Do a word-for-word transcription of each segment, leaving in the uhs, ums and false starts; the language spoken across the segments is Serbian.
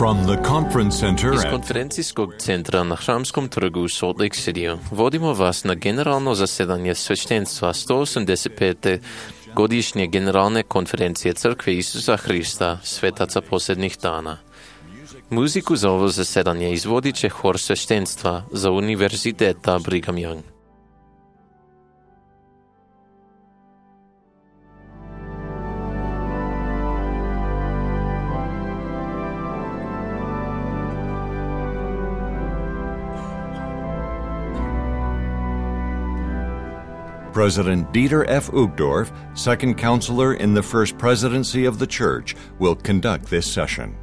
From the conference center Iz at konferencijskog centra na Hramskom trgu u Salt Lake City vodimo vas na generalno zasedanje sveštenstva sto osamdeset pete godišnje generalne konferencije Crkve Isusa Hrista, svetaca posljednjih dana. Muziku za ovo zasedanje izvodit će hor sveštenstva za Univerziteta Brigham Young. President Dieter F. Uchtdorf, second counselor in the First Presidency of the Church, will conduct this session.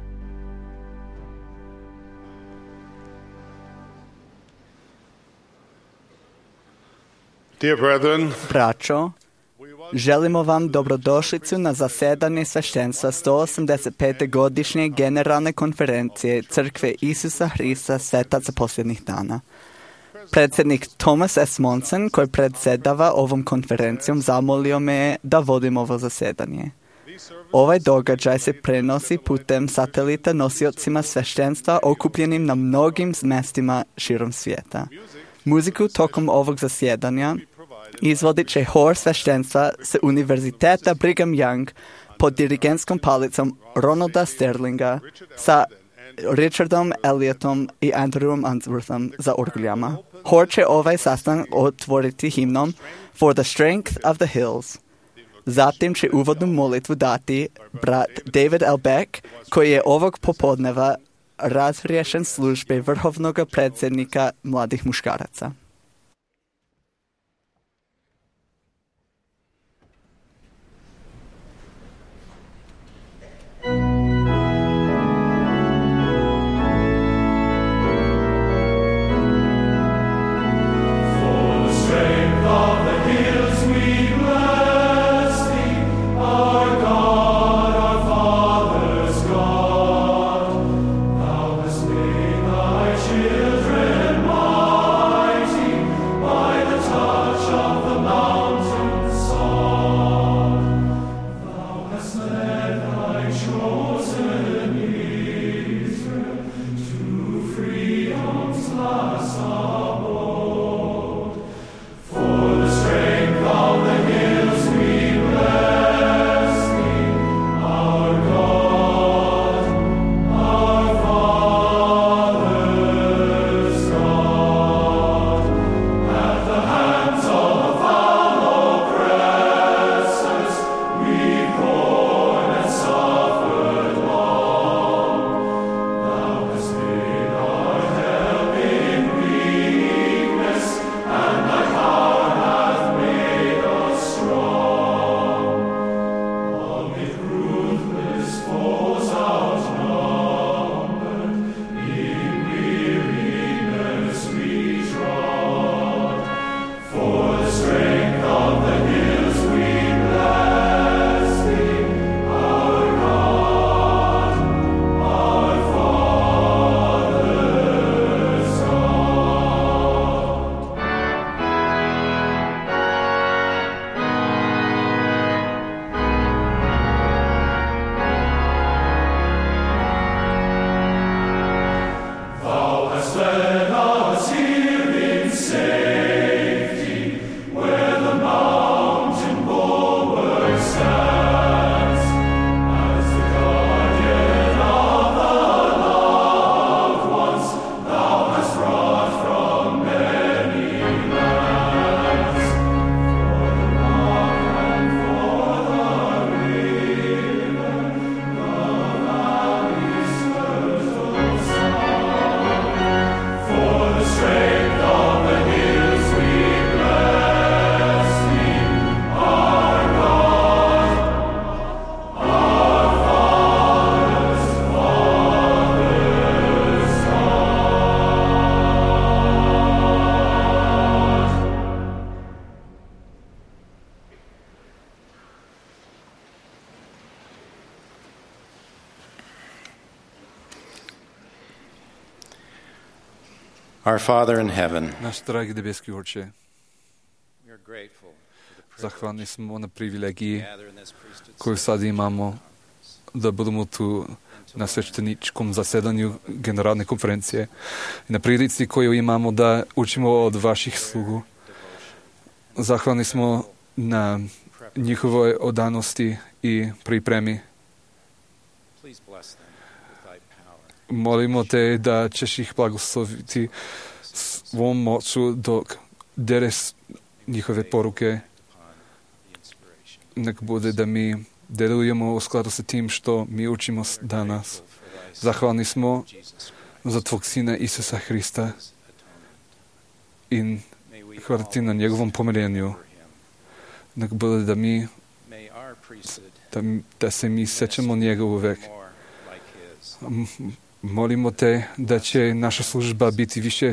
Dear brethren, Braćo, želimo vam dobrodošlicu na zasedanje sveštenstva sto osamdeset pete godišnje generalne konferencije Crkve Isusa Hrista, svetaca posljednjih dana. Predsjednik Thomas S. Monson, koji predsjedava ovom konferencijom, zamolio me je da vodim ovo zasedanje. Ovaj događaj se prenosi putem satelita nosiocima sveštenstva okupljenim na mnogim mjestima širom svijeta. Muziku tokom ovog zasjedanja izvodit će hor sveštenstva s Univerziteta Brigham Young pod dirigentskom palicom Ronalda Sterlinga sa Richardom Elliotom i Andrewom Unsworthom za orguljama. Hor će ovaj sastanak otvoriti himnom For the Strength of the Hills. Zatim će uvodnu molitvu dati brat David L. Beck, koji je ovog popodneva razriješen službe vrhovnog predsjednika mladih muškaraca. Our Father in heaven, Naš dragi nebeski Oče, we are grateful for the privilege zahvalni smo na privilegiji to gather in this priesthood koju sad imamo da budemo tu na svešteničkom zasedanju generalne konferencije i na prilici koju imamo da učimo od vaših slugu. Zahvalni smo na njihovoj odanosti i pripremi. Molimo te da ćeš ih blagosloviti svom moću dok deres njihove poruke. Nek bude da mi delujemo u skladu sa tim što mi učimo danas. Zahvalni smo za Tvog Sina Isusa Hrista i hvala Ti na njegovom pomirenju. Nek bude da mi da, da se mi sećamo njega uvek. Molimo Te da će naša služba biti više,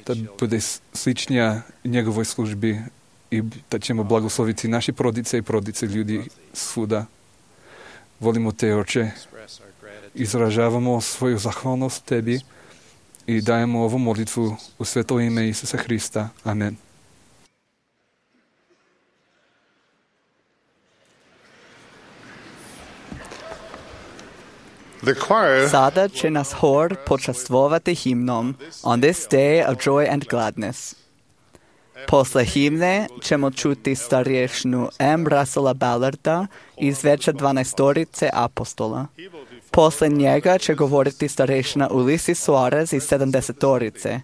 da bude sličnija njegovoj službi i da ćemo blagosloviti naši porodice i porodice ljudi svuda. Volimo Te, Oče, izražavamo svoju zahvalnost Tebi i dajemo ovu molitvu u svetlo ime Isusa Hrista. Amen. Sada će nas hor počastvovati himnom On this day of joy and gladness. Posle himne ćemo čuti starješnu M. Russella Ballarda iz Veća dvanaestorice apostola. Posle njega će govoriti starješna Ulisi Suarez iz sedamdesetorice,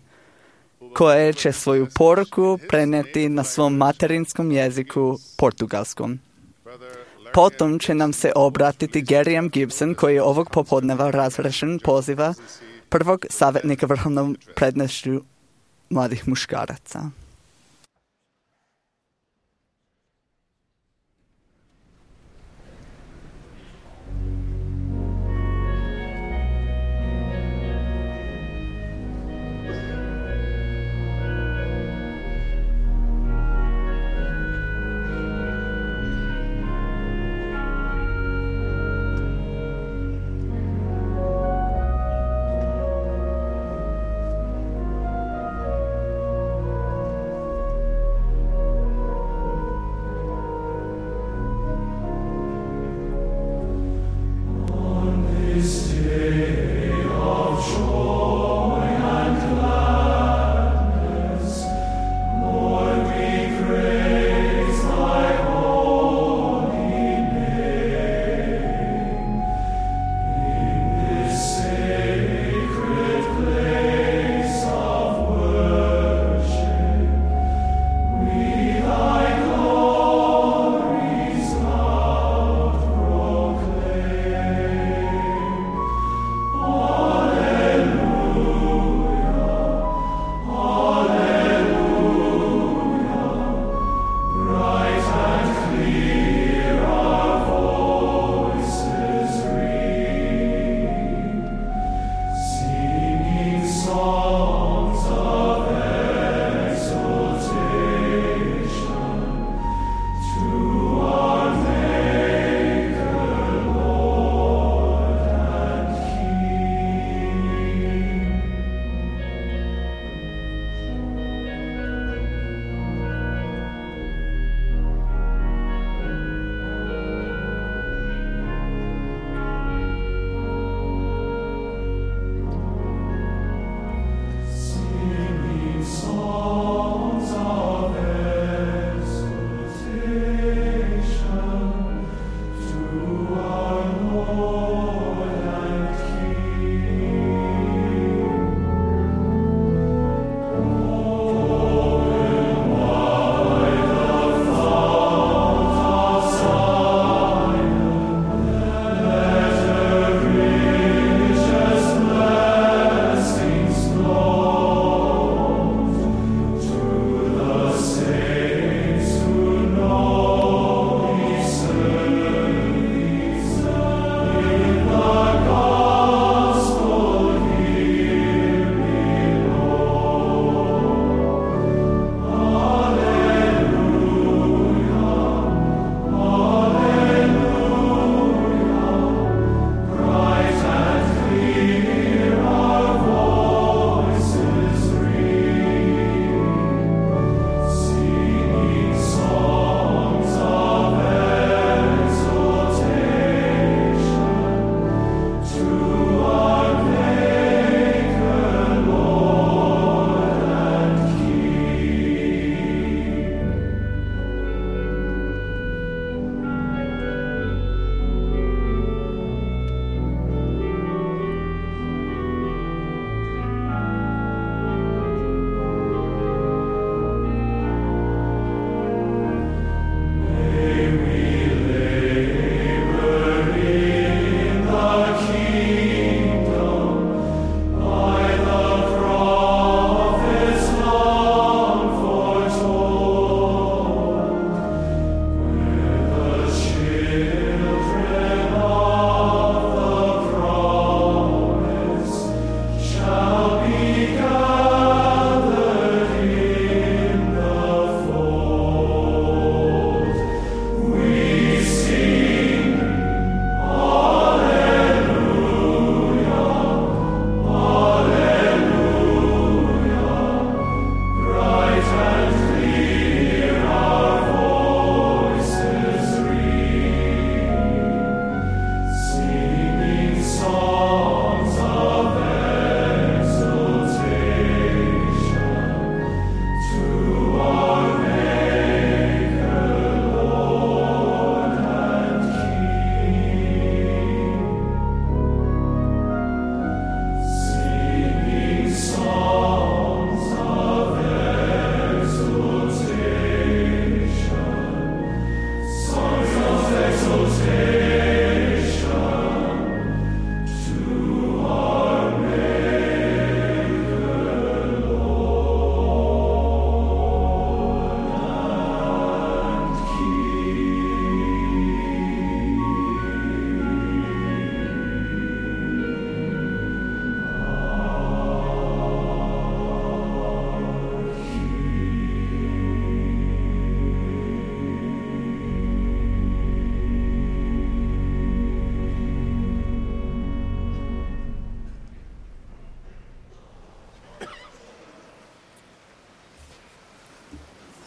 koja će svoju poruku preneti na svom materinskom jeziku, portugalskom. Potom će nam se obratiti Gary M. Gibson, koji je ovog popodneva razrešen poziva prvog savjetnika vrhovnom prednošću mladih muškaraca.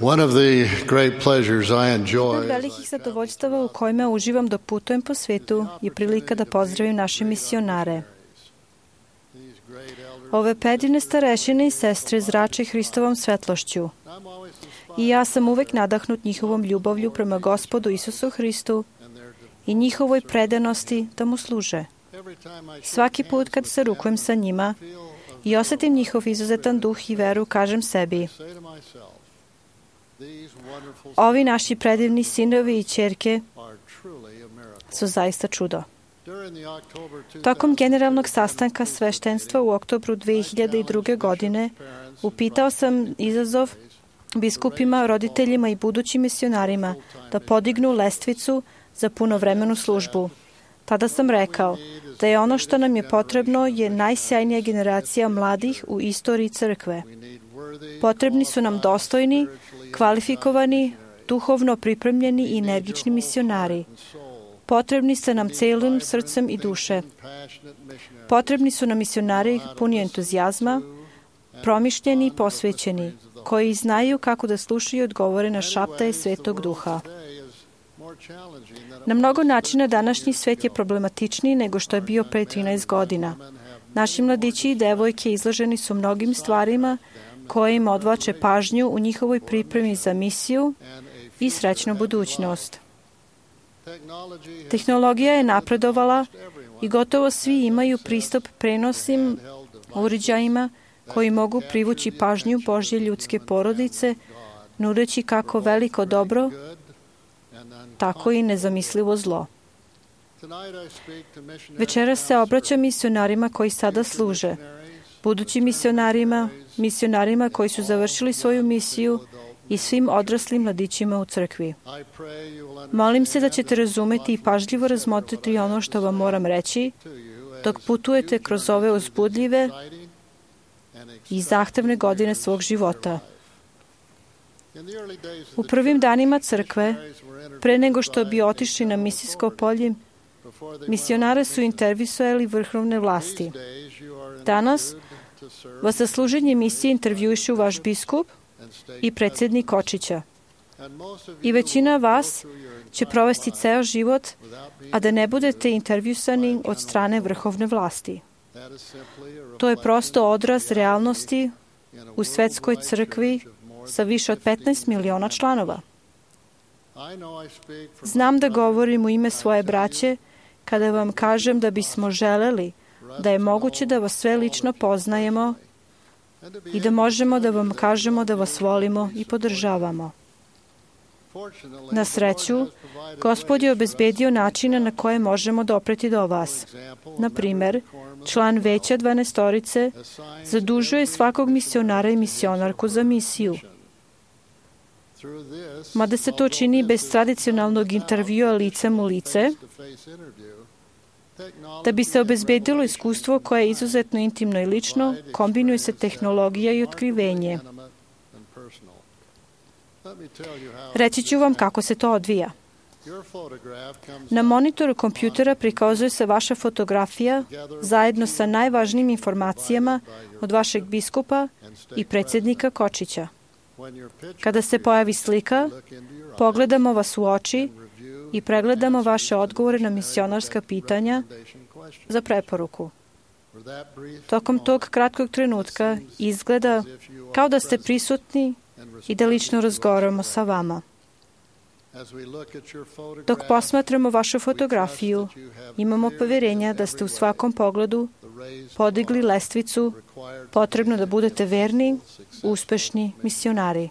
One of the great pleasures I Od enjoy velikih zadovoljstava u kojima uživam dok putujem po svetu je prilika da pozdravim naše misionare. Ove predivne starešine i sestre zrače Hristovom svetlošću. I ja sam uvek nadahnut njihovom ljubavlju prema Gospodu Isusu Hristu i njihovoj predanosti da mu služe. Svaki put kad se rukujem sa njima i osetim njihov izuzetan duh i veru, kažem sebi: ovi naši predivni sinovi i ćerke su zaista čudo. Tokom generalnog sastanka sveštenstva u oktobru dve hiljade druge. godine upitao sam izazov biskupima, roditeljima i budućim misionarima da podignu lestvicu za punovremenu službu. Tada sam rekao da je ono što nam je potrebno je najsjajnija generacija mladih u istoriji crkve. Potrebni su nam dostojni, kvalifikovani, duhovno pripremljeni i energični misionari. Potrebni ste nam celim srcem i duše. Potrebni su nam misionari puni entuzijazma, promišljeni i posvećeni, koji znaju kako da slušaju i odgovore na šaptaje Svetog Duha. Na mnogo načina današnji svet je problematičniji nego što je bio pre trinaest godina. Naši mladići i devojke izloženi su mnogim stvarima koje im odvlače pažnju u njihovoj pripremi za misiju i srećnu budućnost. Tehnologija je napredovala i gotovo svi imaju pristup prenosnim uređajima koji mogu privući pažnju Božje ljudske porodice, nudeći kako veliko dobro, tako i nezamislivo zlo. Večeras se obraćam misionarima koji sada služe, budućim misionarima, misionarima koji su završili svoju misiju i svim odraslim mladićima u crkvi. Molim se da ćete razumeti i pažljivo razmotriti ono što vam moram reći dok putujete kroz ove uzbudljive i zahtevne godine svog života. U prvim danima crkve, pre nego što bi otišli na misijsko polje, misionare su intervjuisali vrhovne vlasti. Danas vas za služenje misije intervjuišu vaš biskup i predsjednik Kočića. I većina vas će provesti ceo život, a da ne budete intervjuisani od strane vrhovne vlasti. To je prosto odraz realnosti u svetskoj crkvi sa više od petnaest miliona članova. Znam da govorim u ime svoje braće kada vam kažem da bismo želeli da je moguće da vas sve lično poznajemo i da možemo da vam kažemo da vas volimo i podržavamo. Na sreću, Gospod je obezbedio načina na koje možemo dopreti do vas. Na primer, član veća dvanaestorice zadužuje svakog misionara i misionarku za misiju. Mada se to čini bez tradicionalnog intervjua licem u lice, da bi se obezbedilo iskustvo koje je izuzetno intimno i lično, kombinuje se tehnologija i otkrivenje. Reći ću vam kako se to odvija. Na monitoru kompjutera prikazuje se vaša fotografija zajedno sa najvažnijim informacijama od vašeg biskupa i predsjednika Kočića. Kada se pojavi slika, pogledamo vas u oči i pregledamo vaše odgovore na misionarska pitanja za preporuku. Tokom tog kratkog trenutka izgleda kao da ste prisutni i da lično razgovaramo sa vama. Dok posmatramo vašu fotografiju, imamo poverenja da ste u svakom pogledu podigli lestvicu potrebno da budete verni, uspešni misionari.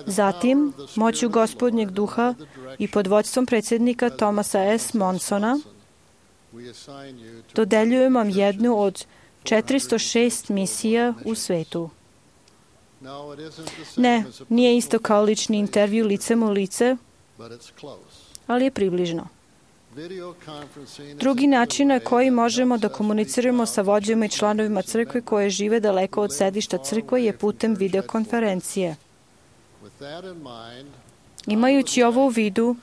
Zatim, moću Gospodnjeg duha i pod vođstvom predsjednika Thomasa S. Monsona, dodeljujem vam jednu od četiristo šest misija u svetu. Ne, nije isto kao lični intervju licem u lice, ali je približno. Drugi način na koji možemo da komuniciramo sa vođama i članovima crkve koje žive daleko od sedišta crkve je putem videokonferencije. Imajući ovo u vidu,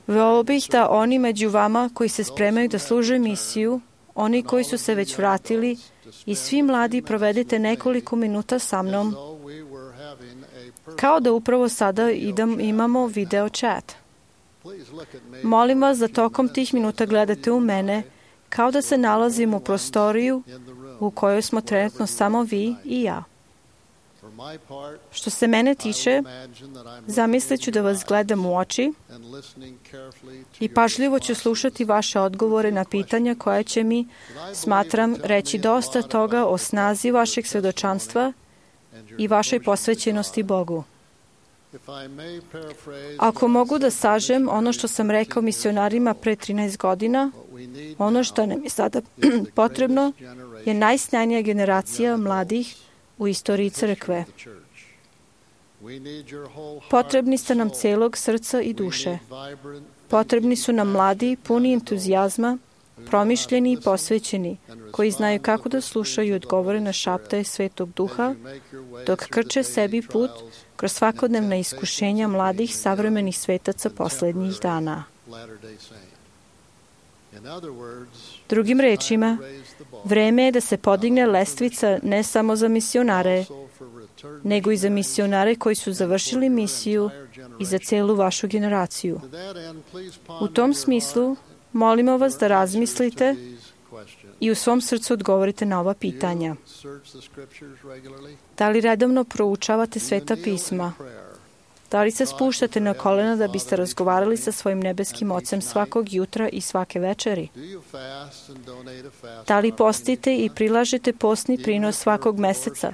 voleo bih da oni među vama koji se spremaju da služe misiju, oni koji su se već vratili i svi mladi provedete nekoliko minuta sa mnom, kao da upravo sada idem, imamo video chat. Molim vas da tokom tih minuta gledate u mene, kao da se nalazim u prostoriju u kojoj smo trenutno samo vi i ja. Što se mene tiče, zamislit ću da vas gledam u oči i pažljivo ću slušati vaše odgovore na pitanja koja će mi, smatram, reći dosta toga o snazi vašeg svedočanstva i vašoj posvećenosti Bogu. Ako mogu da sažem ono što sam rekao misionarima pre trinaest godina, ono što nam je sada potrebno je najsnajnija generacija mladih u istoriji crkve. Potrebni ste nam celog srca i duše. Potrebni su nam mladi, puni entuzijazma, promišljeni i posvećeni, koji znaju kako da slušaju i odgovore na šaptaje Svetog Duha, dok krče sebi put kroz svakodnevna iskušenja mladih savremenih svetaca poslednjih dana. Drugim rečima, vreme je da se podigne lestvica ne samo za misionare, nego i za misionare koji su završili misiju i za celu vašu generaciju. U tom smislu, molimo vas da razmislite i u svom srcu odgovorite na ova pitanja. Da li redovno proučavate Sveta pisma? Da li se spuštate na kolena da biste razgovarali sa svojim nebeskim Ocem svakog jutra i svake večeri? Da li postite i prilažete postni prinos svakog meseca,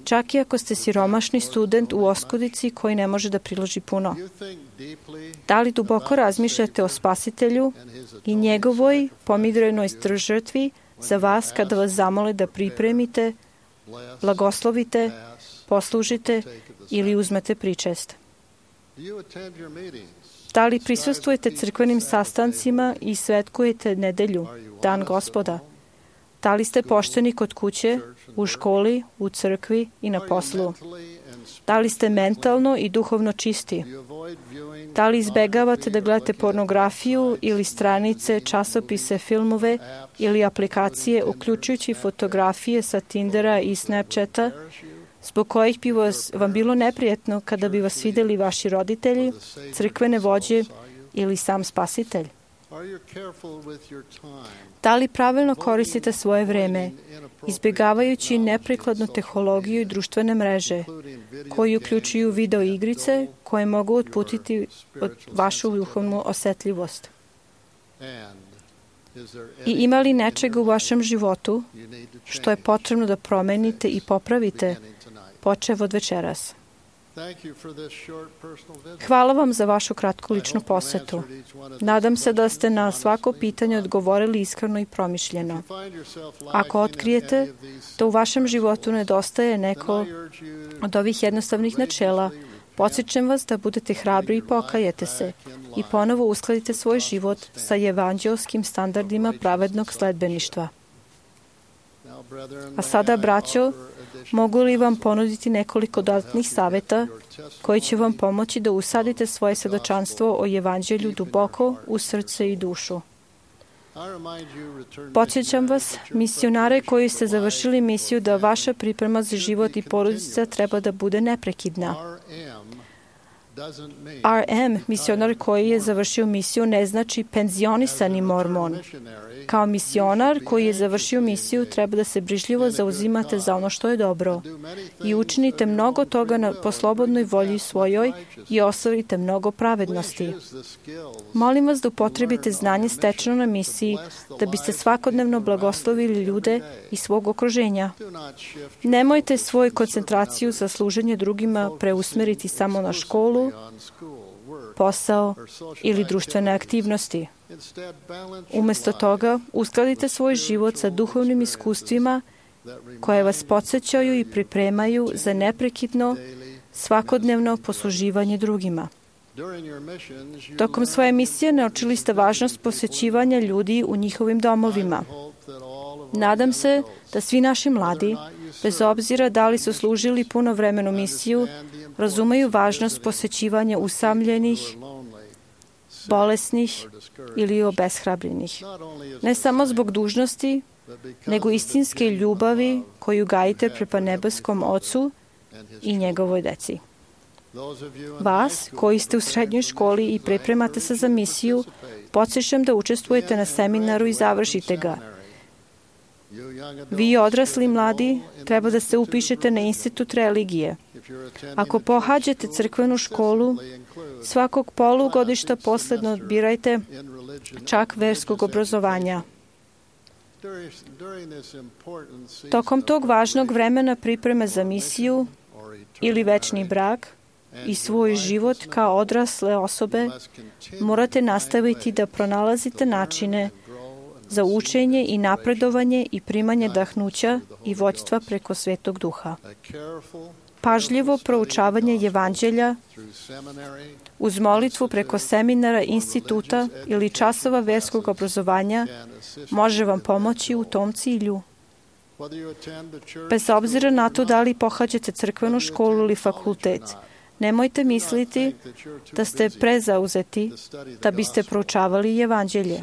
čak i ako ste siromašni student u oskudici koji ne može da priloži puno? Da li duboko razmišljate o Spasitelju i njegovoj pomirenoj žrtvi za vas kada vas zamole da pripremite, blagoslovite, poslužite ili uzmete pričest? Da li prisustvujete crkvenim sastancima i svetkujete nedelju, dan Gospoda? Da li ste pošteni kod kuće, u školi, u crkvi i na poslu? Da li ste mentalno i duhovno čisti? Da li izbegavate da gledate pornografiju ili stranice, časopise, filmove ili aplikacije, uključujući fotografije sa Tindera i Snapchata, zbog kojih bi vas, vam bilo neprijatno kada bi vas videli vaši roditelji, crkvene vođe ili sam Spasitelj? Da li pravilno koristite svoje vreme, izbjegavajući neprikladnu tehnologiju i društvene mreže, koji uključuju video igrice koje mogu otputiti od vašu duhovnu osetljivost? I ima li nečega u vašem životu što je potrebno da promenite i popravite, počev od večeras? Hvala vam za vašu kratku ličnu posetu. Nadam se da ste na svako pitanje odgovorili iskreno i promišljeno. Ako otkrijete da u vašem životu nedostaje neko od ovih jednostavnih načela, podsjećam vas da budete hrabri i pokajete se i ponovo uskladite svoj život sa evanđelskim standardima pravednog sledbeništva. A sada, braćo, mogu li vam ponuditi nekoliko dodatnih saveta koji će vam pomoći da usadite svoje svedočanstvo o evanđelju duboko u srce i dušu? Podsjećam vas, misionare koji ste završili misiju, da vaša priprema za život i porodica treba da bude neprekidna. R M, misionar koji je završio misiju, ne znači penzionisani mormon. Kao misionar koji je završio misiju, treba da se brižljivo zauzimate za ono što je dobro i učinite mnogo toga na, po slobodnoj volji svojoj i ostvarite mnogo pravednosti. Molim vas da upotrebite znanje stečeno na misiji, da biste svakodnevno blagoslovili ljude i svog okruženja. Nemojte svoju koncentraciju za služenje drugima preusmeriti samo na školu, posao ili društvene aktivnosti. Umesto toga, uskladite svoj život sa duhovnim iskustvima koje vas podsjećaju i pripremaju za neprekidno, svakodnevno posluživanje drugima. Tokom svoje misije naučili ste važnost posjećivanja ljudi u njihovim domovima. Nadam se da svi naši mladi, bez obzira da li su služili punovremenu misiju, razumeju važnost posjećivanja usamljenih, bolesnih ili obeshrabrenih. Ne samo zbog dužnosti, nego istinske ljubavi koju gajite prema nebeskom Ocu i njegovoj deci. Vas, koji ste u srednjoj školi i pripremate se za misiju, podsjećam da učestvujete na seminaru i završite ga. Vi odrasli mladi treba da se upišete na institut religije. Ako pohađate crkvenu školu, svakog polugodišta posledno odbirajte čak verskog obrazovanja. Tokom tog važnog vremena pripreme za misiju ili večni brak i svoj život kao odrasle osobe, morate nastaviti da pronalazite načine za učenje i napredovanje i primanje dahnuća i vođstva preko Svetog Duha. Pažljivo proučavanje Evanđelja uz molitvu preko seminara, instituta ili časova verskog obrazovanja može vam pomoći u tom cilju. Bez obzira na to da li pohađate crkvenu školu ili fakultet, nemojte misliti da ste prezauzeti da biste proučavali Evanđelje.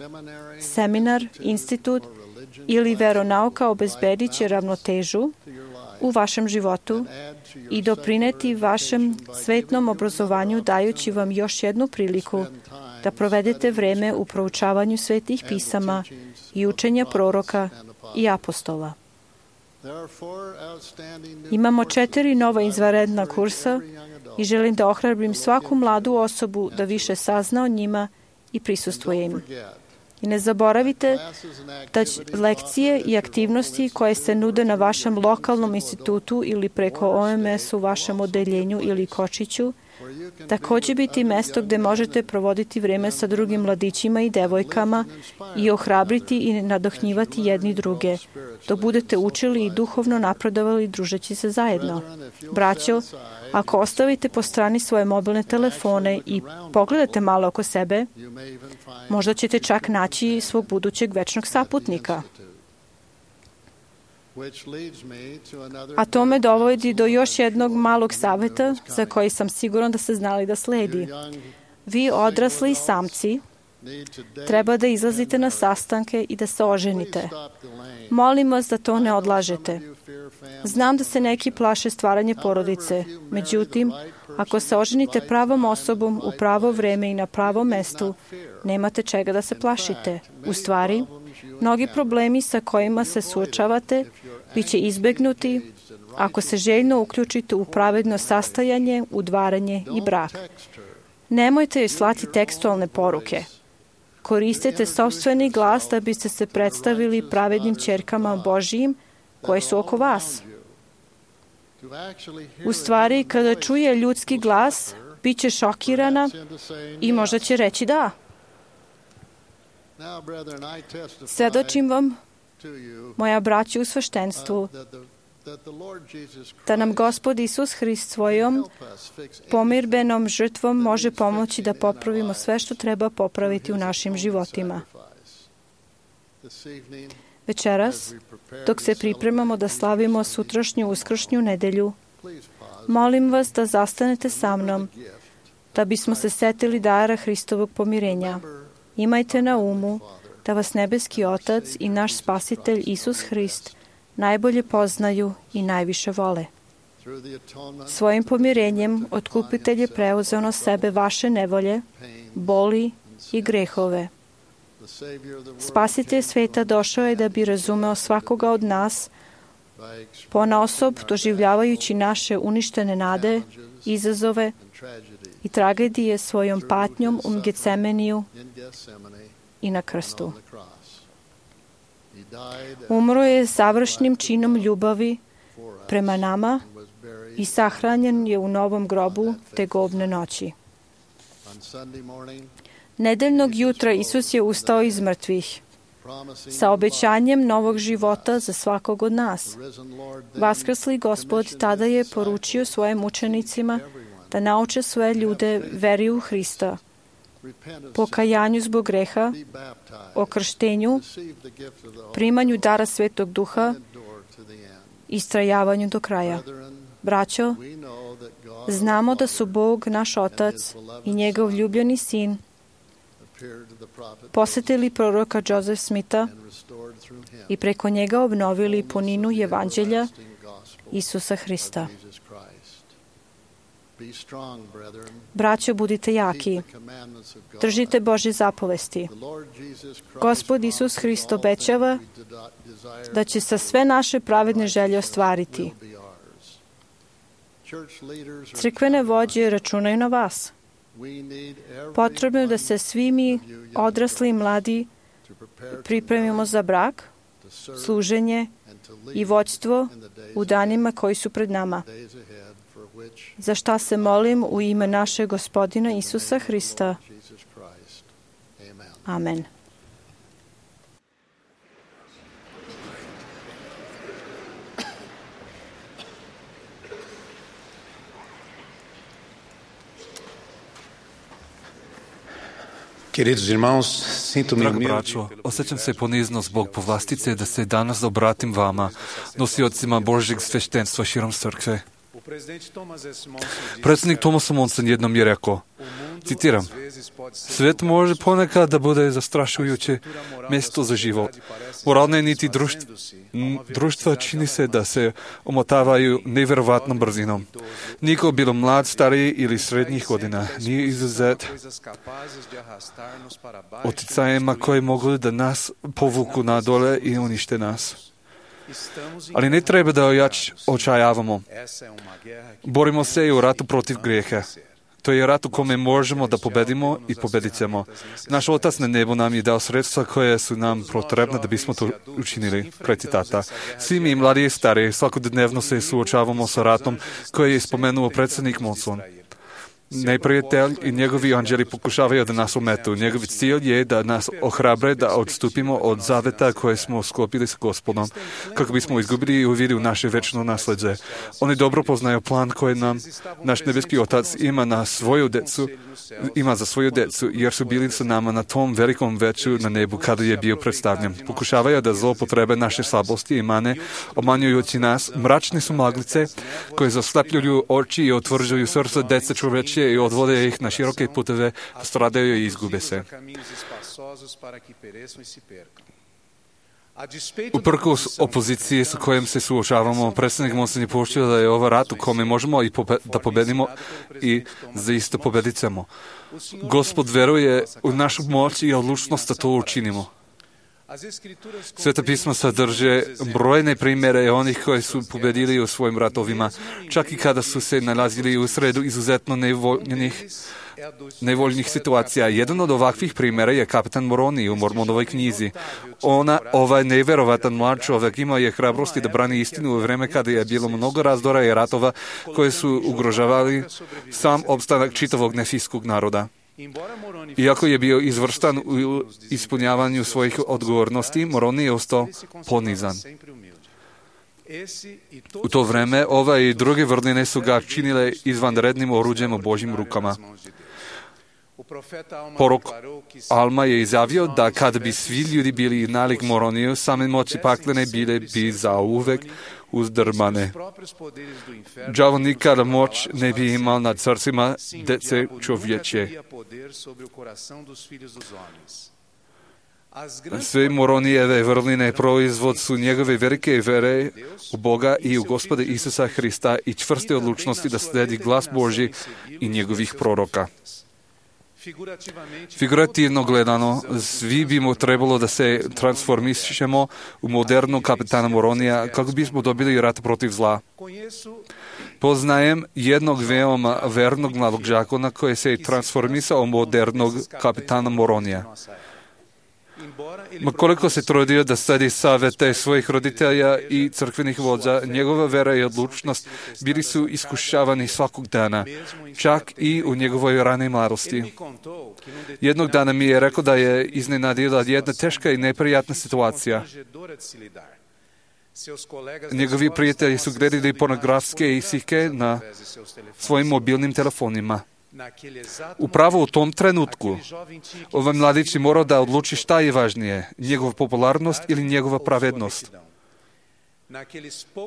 Seminar, institut ili veronauka obezbedit će ravnotežu u vašem životu i doprineti vašem svetnom obrazovanju dajući vam još jednu priliku da provedete vreme u proučavanju svetih pisama i učenja proroka i apostola. Imamo četiri nova izvanredna kursa i želim da ohrabrim svaku mladu osobu da više sazna o njima i prisustvuje im. I ne zaboravite da lekcije i aktivnosti koje se nude na vašem lokalnom institutu ili preko O M S u vašem odeljenju ili kočiću, takođe biti mesto gde možete provoditi vreme sa drugim mladićima i devojkama i ohrabriti i nadohnjivati jedni druge, dok budete učili i duhovno napredovali družeći se zajedno. Braćo, ako ostavite po strani svoje mobilne telefone i pogledate malo oko sebe, možda ćete čak naći svog budućeg večnog saputnika. A to me dovodi do još jednog malog saveta za koji sam siguran da ste znali da sledi. Vi odrasli samci treba da izlazite na sastanke i da se oženite. Molim vas da to ne odlažete. Znam da se neki plaše stvaranje porodice, međutim, ako se oženite pravom osobom u pravo vreme i na pravom mestu, nemate čega da se plašite. U stvari, mnogi problemi sa kojima se suočavate bit će izbegnuti ako se željno uključite u pravedno sastajanje, udvaranje i brak. Nemojte joj slati tekstualne poruke. Koristite sopstveni glas da biste se predstavili pravednim ćerkama Božijim koje su oko vas. U stvari, kada čuje ljudski glas, bit će šokirana i možda će reći da. Svedočim vam, moja braća u sveštenstvu, da nam Gospod Isus Hrist svojom pomirbenom žrtvom može pomoći da popravimo sve što treba popraviti u našim životima. Večeras, dok se pripremamo da slavimo sutrašnju uskršnju nedelju, molim vas da zastanete sa mnom, da bismo se setili dara Hristovog pomirenja. Imajte na umu da vas nebeski Otac i naš Spasitelj Isus Hrist najbolje poznaju i najviše vole. Svojim pomirenjem Otkupitelj je preuzeo na sebe vaše nevolje, boli i grehove. Spasitelj sveta došao je da bi razumeo svakoga od nas, ponaosob doživljavajući naše uništene nade, izazove i tragedije svojom patnjom u Gecemeniju i na krstu. Umro je savršnim činom ljubavi prema nama i sahranjen je u novom grobu tegobne noći. Nedeljnog jutra Isus je ustao iz mrtvih sa obećanjem novog života za svakog od nas. Vaskrsli Gospod tada je poručio svojim učenicima da nauče svoje ljude veri u Hrista, pokajanju zbog greha, okrštenju, primanju dara Svetog Duha i istrajavanju do kraja. Braćo, znamo da su Bog, naš Otac i njegov ljubljeni Sin posetili proroka Joseph Smitha i preko njega obnovili puninu Evanđelja Isusa Hrista. Braćo, budite jaki. Držite Božje zapovesti. Gospod Isus Hrist obećava da će sa sve naše pravedne želje ostvariti. Crkvene vođe računaju na vas. Potrebno je da se svi mi, odrasli i mladi, pripremimo za brak, služenje i vođstvo u danima koji su pred nama. Za šta se molim u ime našeg Gospodina Isusa Hrista. Amen. Queridos irmãos, sinto-me Drago humilde. braćo, osjećam se ponizno zbog povlastice da se danas obratim vama, nosiocima Božjeg sveštenstva širom crkve. Predsjednik Thomas Monson jednom je rekao, citiram, svijet može ponekad da bude zastrašujuće mjesto za život. Moralne niti društva, društva čini se da se omotavaju nevjerovatnom brzinom. Niko bilo mlad, stariji ili srednjih godina nije izuzet oticajima koje mogu da nas povuku na dole i unište nas. Ali ne treba da ojač očajavamo. Borimo se i u ratu protiv grijeha. To je rat u kome možemo da pobedimo i pobedit ćemo. Naš Otac na nebu nam je dao sredstva koje su nam potrebna da bismo to učinili. Kraj citata. Svi mi, mladi i stari, svakodnevno se suočavamo sa ratom koje je spomenuo predsjednik Monson. Neprijatelj i njegovi anđeli pokušavaju da nas ometu. Njegov cilj je da nas ohrabre da odstupimo od zaveta koje smo sklopili s Gospodom, kako bismo izgubili i uvidi u naše večno nasljeđe. Oni dobro poznaju plan koji nam naš nebeski Otac ima na svoju decu, ima za svoju decu, jer su bili sa nama na tom velikom veću na nebu kada je bio predstavljen. Pokušavaju da zloupotrebe naše slabosti i mane, obmanjujući nas, mračne su maglice koje zaslepljuju oči i otvrđuju srca dece čovečije i odvode ih na široke puteve, da stradaju i izgube se. Uprkos opoziciji sa kojom se suočavamo, predsjednik Monson je poučio da je ovo rat u kome možemo i pobe- da pobedimo i zaista pobedit ćemo. Gospod veruje u našu moć i odlučnost da to učinimo. Sveta pisma sadrže brojne primjere onih koji su pobedili u svojim ratovima, čak i kada su se nalazili u sredu izuzetno nevoljnih, nevoljnih situacija. Jedan od ovakvih primjera je kapitan Moroni u Mormonovoj knjizi. Ona, ovaj nevjerovatan mlad čovjek, imao je hrabrosti da brani istinu u vreme kada je bilo mnogo razdora i ratova koje su ugrožavali sam opstanak čitavog nefijskog naroda. Iako je bio izvrstan u ispunjavanju svojih odgovornosti, Moroni je ostao ponizan. U to vreme ove i druge vrline su ga činile izvanrednim oruđem u Božjim rukama. Porok Alma je izjavio da kada bi svi ljudi bili nalik Moroniju, same moći paklene bile bi zauvek uzdrmane. Đavo nikada moć ne bi imao nad srcima dece čovječe. Sve Moronijeve vrline proizvod su njegove velike vere u Boga i u Gospoda Isusa Hrista i čvrste odlučnosti da slijedi glas Božji i njegovih proroka. Figurativno gledano, svi bi mu trebalo da se transformišemo u modernog kapitana Moronija kako bismo dobili rat protiv zla. Poznajem jednog veoma vernog mladog đakona koji se transformisao u modernog kapitana Moronija. Ma koliko se trudio da sledi savete svojih roditelja i crkvenih vođa, njegova vera i odlučnost bili su iskušavani svakog dana, čak i u njegovoj ranoj mladosti. Jednog dana mi je rekao da je iznenadila jedna teška i neprijatna situacija. Njegovi prijatelji su gledali pornografske isike na svojim mobilnim telefonima. Upravo u tom trenutku ovaj mladić je morao da odluči šta je važnije, njegova popularnost ili njegova pravednost.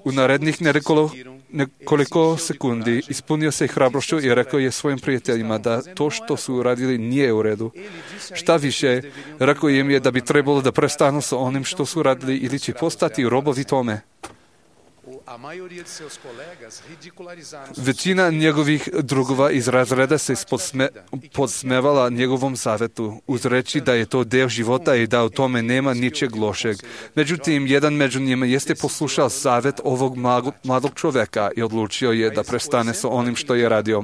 U narednih nekoliko, nekoliko sekundi ispunio se hrabrošću i rekao je svojim prijateljima da to što su uradili nije u redu. Šta više, rekao im je da bi trebalo da prestanu sa onim što su radili ili će postati robovi tome. Većina njegovih drugova iz razreda se podsme, podsmevala njegovom savjetu, uz reći da je to deo života i da u tome nema ničeg lošeg. Međutim, jedan među njima jeste poslušao savjet ovog mladog čovjeka i odlučio je da prestane sa onim što je radio.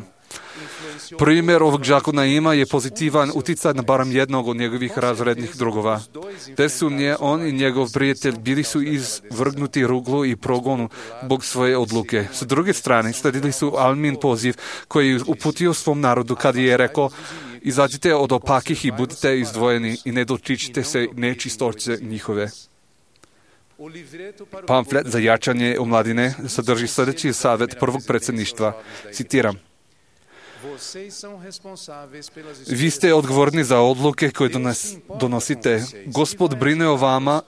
Primjer ovog žakona ima je pozitivan utjecaj na barem jednog od njegovih razrednih drugova. Bez sumnje, on i njegov prijatelj bili su izvrgnuti ruglu i progonu zbog svoje odluke. S druge strane, sledili su Almin poziv koji je uputio svom narodu kad je rekao: izađite od opakih i budite izdvojeni i ne dotičite se nečistoće njihove. Pamflet za jačanje omladine sadrži sljedeći savjet prvog predsjedništva. Citiram: vi ste odgovorni za odluke koje donos, donosite. Gospod brine o vama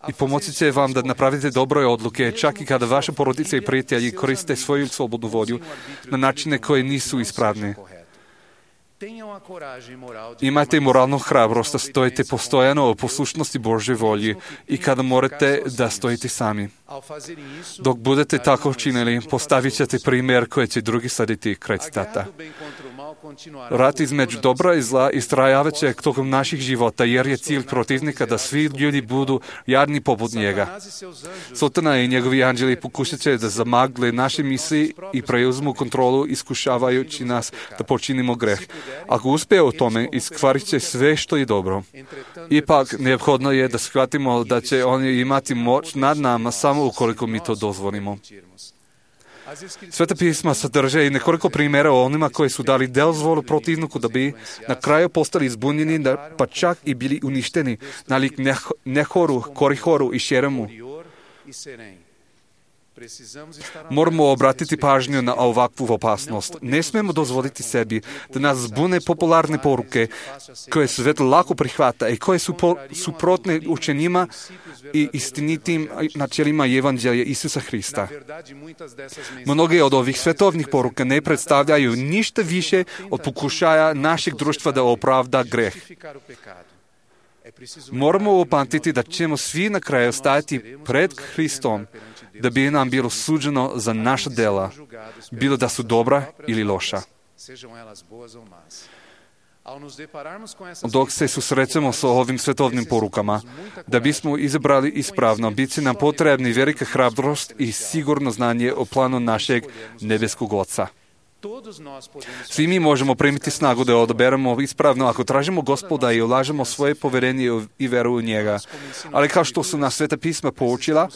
i pomoći će vam da napravite dobre odluke, čak i kada vaše porodice i prijatelji koriste svoju slobodnu volju na načine koje nisu ispravne. Imajte moralnu hrabrost da stojite postojano u poslušnosti Božoj volji i kada morate da stojite sami. Dok budete tako činili, postavit ćete primjer koji će drugi slediti. Kraj citata. Rat između dobra i zla istrajavat će tokom naših života, jer je cilj protivnika da svi ljudi budu jadni poput njega. Satana i njegovi anđeli pokušat će da zamagle naše misli i preuzmu kontrolu, iskušavajući nas da počinimo greh. Ako uspije u tome, iskvarit će sve što je dobro. Ipak, neophodno je da shvatimo da će oni imati moć nad nama samo ukoliko mi to dozvolimo. Sveta pisma sadrže i nekoliko primjera o onima koji su dali dozvolu protivniku da bi na kraju postali zbunjeni, pa čak i bili uništeni, nalik Nehoru, Korihoru i Šeremu. Moramo obratiti pažnju na ovakvu opasnost. Ne smemo dozvoliti sebi da nas zbune popularne poruke koje svet lako prihvata i koje su po, suprotne učenjima i istinitim načelima Evanđelja Isusa Hrista. Mnoge od ovih svetovnih poruka ne predstavljaju ništa više od pokušaja našeg društva da opravda greh. Moramo upamtiti da ćemo svi na kraju stajati pred Hristom, da bi nam bilo suđeno za naša dela, bilo da su dobra ili loša. Dok se susrećemo sa ovim svetovnim porukama, da bismo izabrali ispravno, bit će nam potrebni velika hrabrost i sigurno znanje o planu našeg nebeskog Oca. Svi mi možemo primiti snagu da odaberemo ispravno ako tražimo Gospoda i ulažemo svoje povjerenje i veru u njega. Ali kao što su nas Sveta pisma poučila,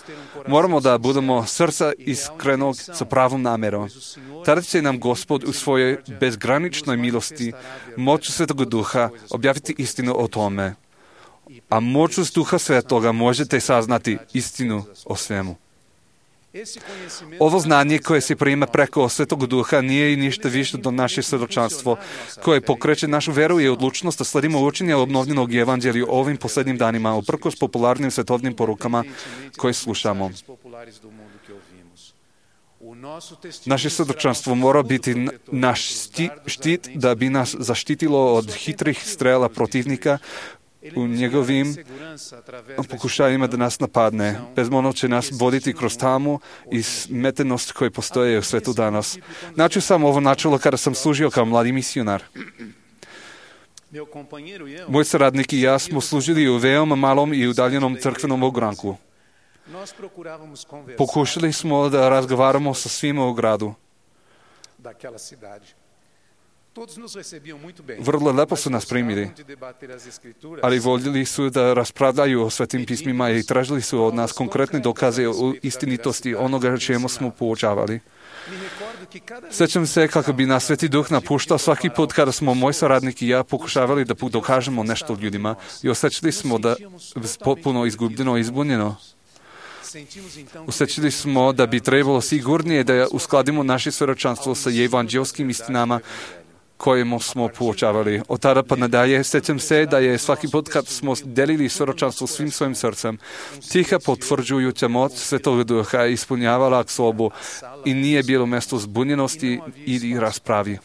moramo da budemo srca iskrenog sa pravom namjerom. Tada će nam Gospod u svojoj bezgraničnoj milosti, moću Svetog Duha, objaviti istinu o tome. A moću Duha Svetoga možete saznati istinu o svemu. Ovo znanje koje se prima preko Svetog Duha nije i ništa više do naše svjedočanstvo koje pokreće našu veru i odlučnost da sledimo učenje obnovljenog Evanđelja ovim posljednjim danima uprkos popularnim svetovnim porukama koje slušamo. Naše svjedočanstvo mora biti naš štit da bi nas zaštitilo od hitrih strela protivnika u njegovim pokušajima da nas napadne. Bezmolno će nas voditi kroz tamu i smetenost koje postoje u svetu danas. Načuo sam ovo načelo kada sam služio kao mladi misionar. Moj saradnik i ja smo služili u veoma malom i udaljenom crkvenom ogranku. Pokušali smo da razgovaramo sa svima u gradu. Vrlo lepo su nas primili, ali voljeli su da raspravljaju o svetim pismima i tražili su od nas konkretne dokaze o istinitosti onoga čemu smo poučavali. Sjećam se kako bi nas Sveti Duh napuštao svaki put kada smo moj saradnik i ja pokušavali da dokažemo nešto ljudima i osjećali smo da potpuno izgubljeno i izbunjeno. Osjećali smo da bi trebalo sigurnije da uskladimo naše svjedočanstvo sa evanđelskim istinama kojemu smo poučavali. Od tada pa nadalje sjećam se da je svaki put kad smo delili svjedočanstvo svim svojim srcem, tiha potvrđujuća moć Svetog Duha ispunjavala sobu i nije bilo mjesto zbunjenosti ili raspravi.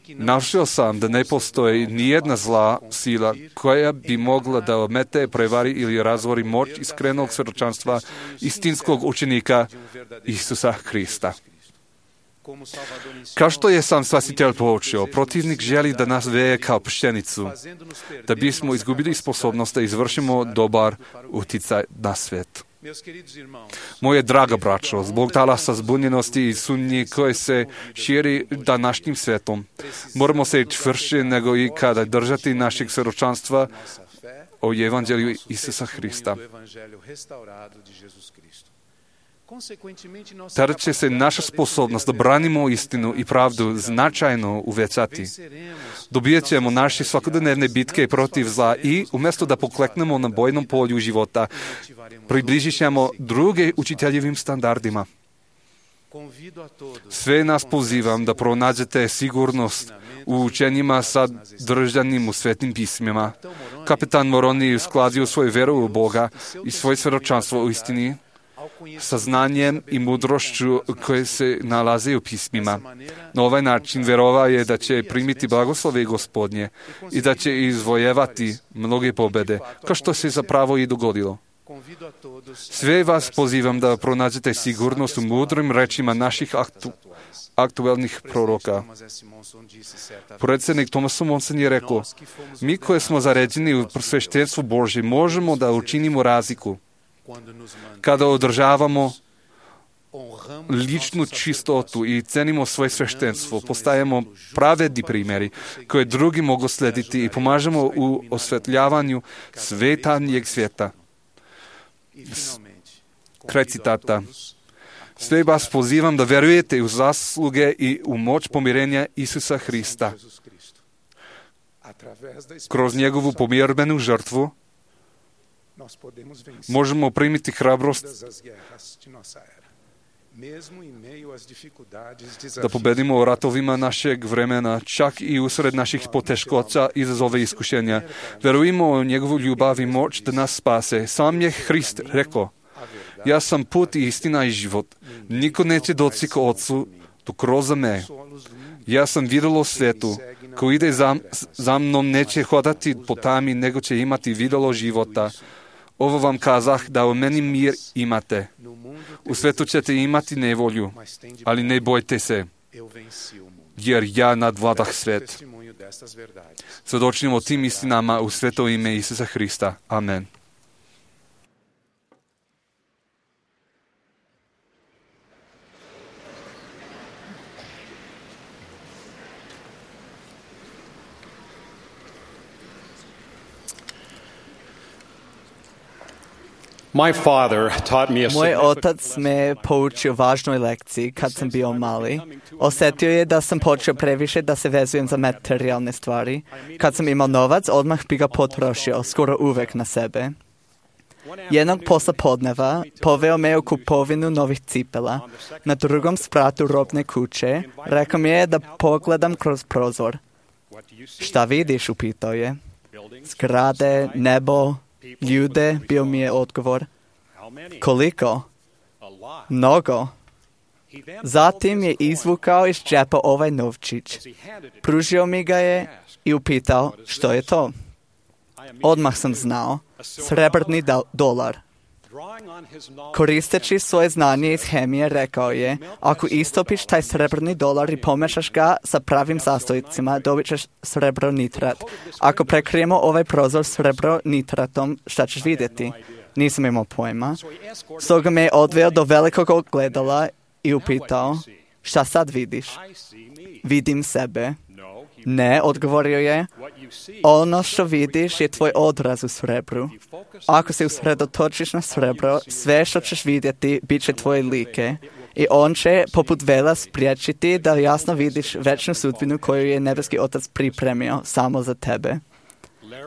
Naučio sam da ne postoji nijedna zla sila koja bi mogla da omete, prevari ili razvori moć iskrenog svjedočanstva istinskog učenika Isusa Hrista. Kao što je sam Spasitelj poučio, protivnik želi da nas veje kao pšenicu, da bismo izgubili sposobnost da izvršimo dobar uticaj na svijet. Moje draga braćo, zbog talasa zbunjenosti i sumnji koje se širi današnjim svijetom, moramo se čvršće nego i kada držati našeg svjedočanstva o Evanđelju Isusa Hrista. Tada će se naša sposobnost da branimo istinu i pravdu značajno uvećati. Dobijat ćemo naše svakodnevne bitke protiv zla i, umjesto da pokleknemo na bojnom polju života, približit ćemo druge učiteljevim standardima. Sve nas pozivam da pronađete sigurnost u učenjima sadržanim u Svetim pismima. Kapitan Moroni uskladio svoju veru u Boga i svoje svjedočanstvo u istini sa znanjem i mudrošću koje se nalaze u pismima. Na ovaj način vjerovao je da će primiti blagoslove Gospodnje i da će izvojevati mnoge pobjede, kao što se zapravo i dogodilo. Sve vas pozivam da pronađete sigurnost u mudrim rečima naših aktu, aktualnih proroka. Predsjednik Thomas Monson je rekao, mi koji smo zaređeni u sveštenstvu Božje možemo da učinimo razliku kada održavamo ličnu čistotu i cenimo svoje sveštenstvo, postajemo pravedni primjeri koje drugi mogu slediti i pomažemo u osvetljavanju svetanjeg svijeta. Kraj citata. Sve vas pozivam da vjerujete u zasluge i u moć pomirenja Isusa Hrista. Kroz njegovu pomirbenu žrtvu možemo primiti hrabrost da pobedimo u ratovima našeg vremena, čak i usred naših poteškoća i izazove iskušenja. Verujemo u njegovu ljubav i moć da nas spase. Sam je Hrist rekao, ja sam put i istina i život. Niko neće doći k Otcu tu kroz me. Ja sam vidjelo svijetu. Ko ide za, za mnom neće hodati po tami, nego će imati vidjelo života. Ovo vam kazah da u meni mir imate. U svijetu ćete imati nevolju, ali ne bojte se, jer ja nadvladah svijet. Svjedočimo tim istinama u sveto ime Isusa Hrista. Amen. My father taught me a Moj otac me poučio važnoj lekciji kad sam bio mali. Osjetio je da sam počeo previše da se vezujem za materijalne stvari. Kad sam imao novac, odmah bi ga potrošio, skoro uvek na sebe. Jednog posla podneva poveo me u kupovinu novih cipela. Na drugom spratu robne kuće rekao mi je da pogledam kroz prozor. Šta vidiš, upitao je. Zgrade, nebo, ljude, bio mi je odgovor. Koliko? Mnogo. Zatim je izvukao iz džepa ovaj novčić. Pružio mi ga je i upitao što je to. Odmah sam znao. Srebrni dolar. Koristeći svoje znanje iz hemije, rekao je, ako istopiš taj srebrni dolar i pomešaš ga sa pravim sastojcima, dobit ćeš srebrnitrat. Ako prekrijemo ovaj prozor srebrnitratom, šta ćeš vidjeti? Nisam imao pojma. Stoga me je odveo do velikog ogledala i upitao, šta sad vidiš? Vidim sebe. Ne, odgovorio je, ono što vidiš je tvoj odraz u srebru. Ako se usredotočiš na srebro, sve što ćeš vidjeti bit će tvoje like i on će poput vela spriječiti da jasno vidiš večnu sudbinu koju je nebeski otac pripremio samo za tebe.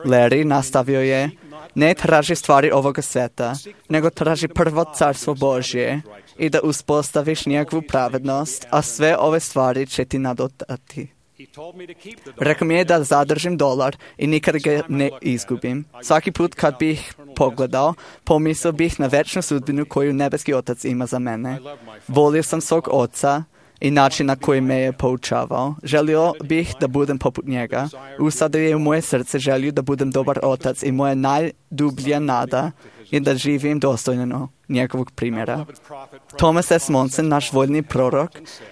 Larry nastavio je, ne traži stvari ovoga sveta, nego traži prvo carstvo Božje i da uspostaviš njegovu pravednost, a sve ove stvari će ti nadodati. Rekao mi je da zadržim dolar i nikad ga ne izgubim. Svaki put kad bih pogledao, pomislio bih na večnu sudbinu koju nebeski otac ima za mene. Volio sam svog oca i način na koji me je poučavao. Želio bih da budem poput njega. Usadio je u moje srce želju da budem dobar otac i moja najdublja nada je da živim dostojno njegovog primjera. Thomas S. Monson, naš voljni prorok,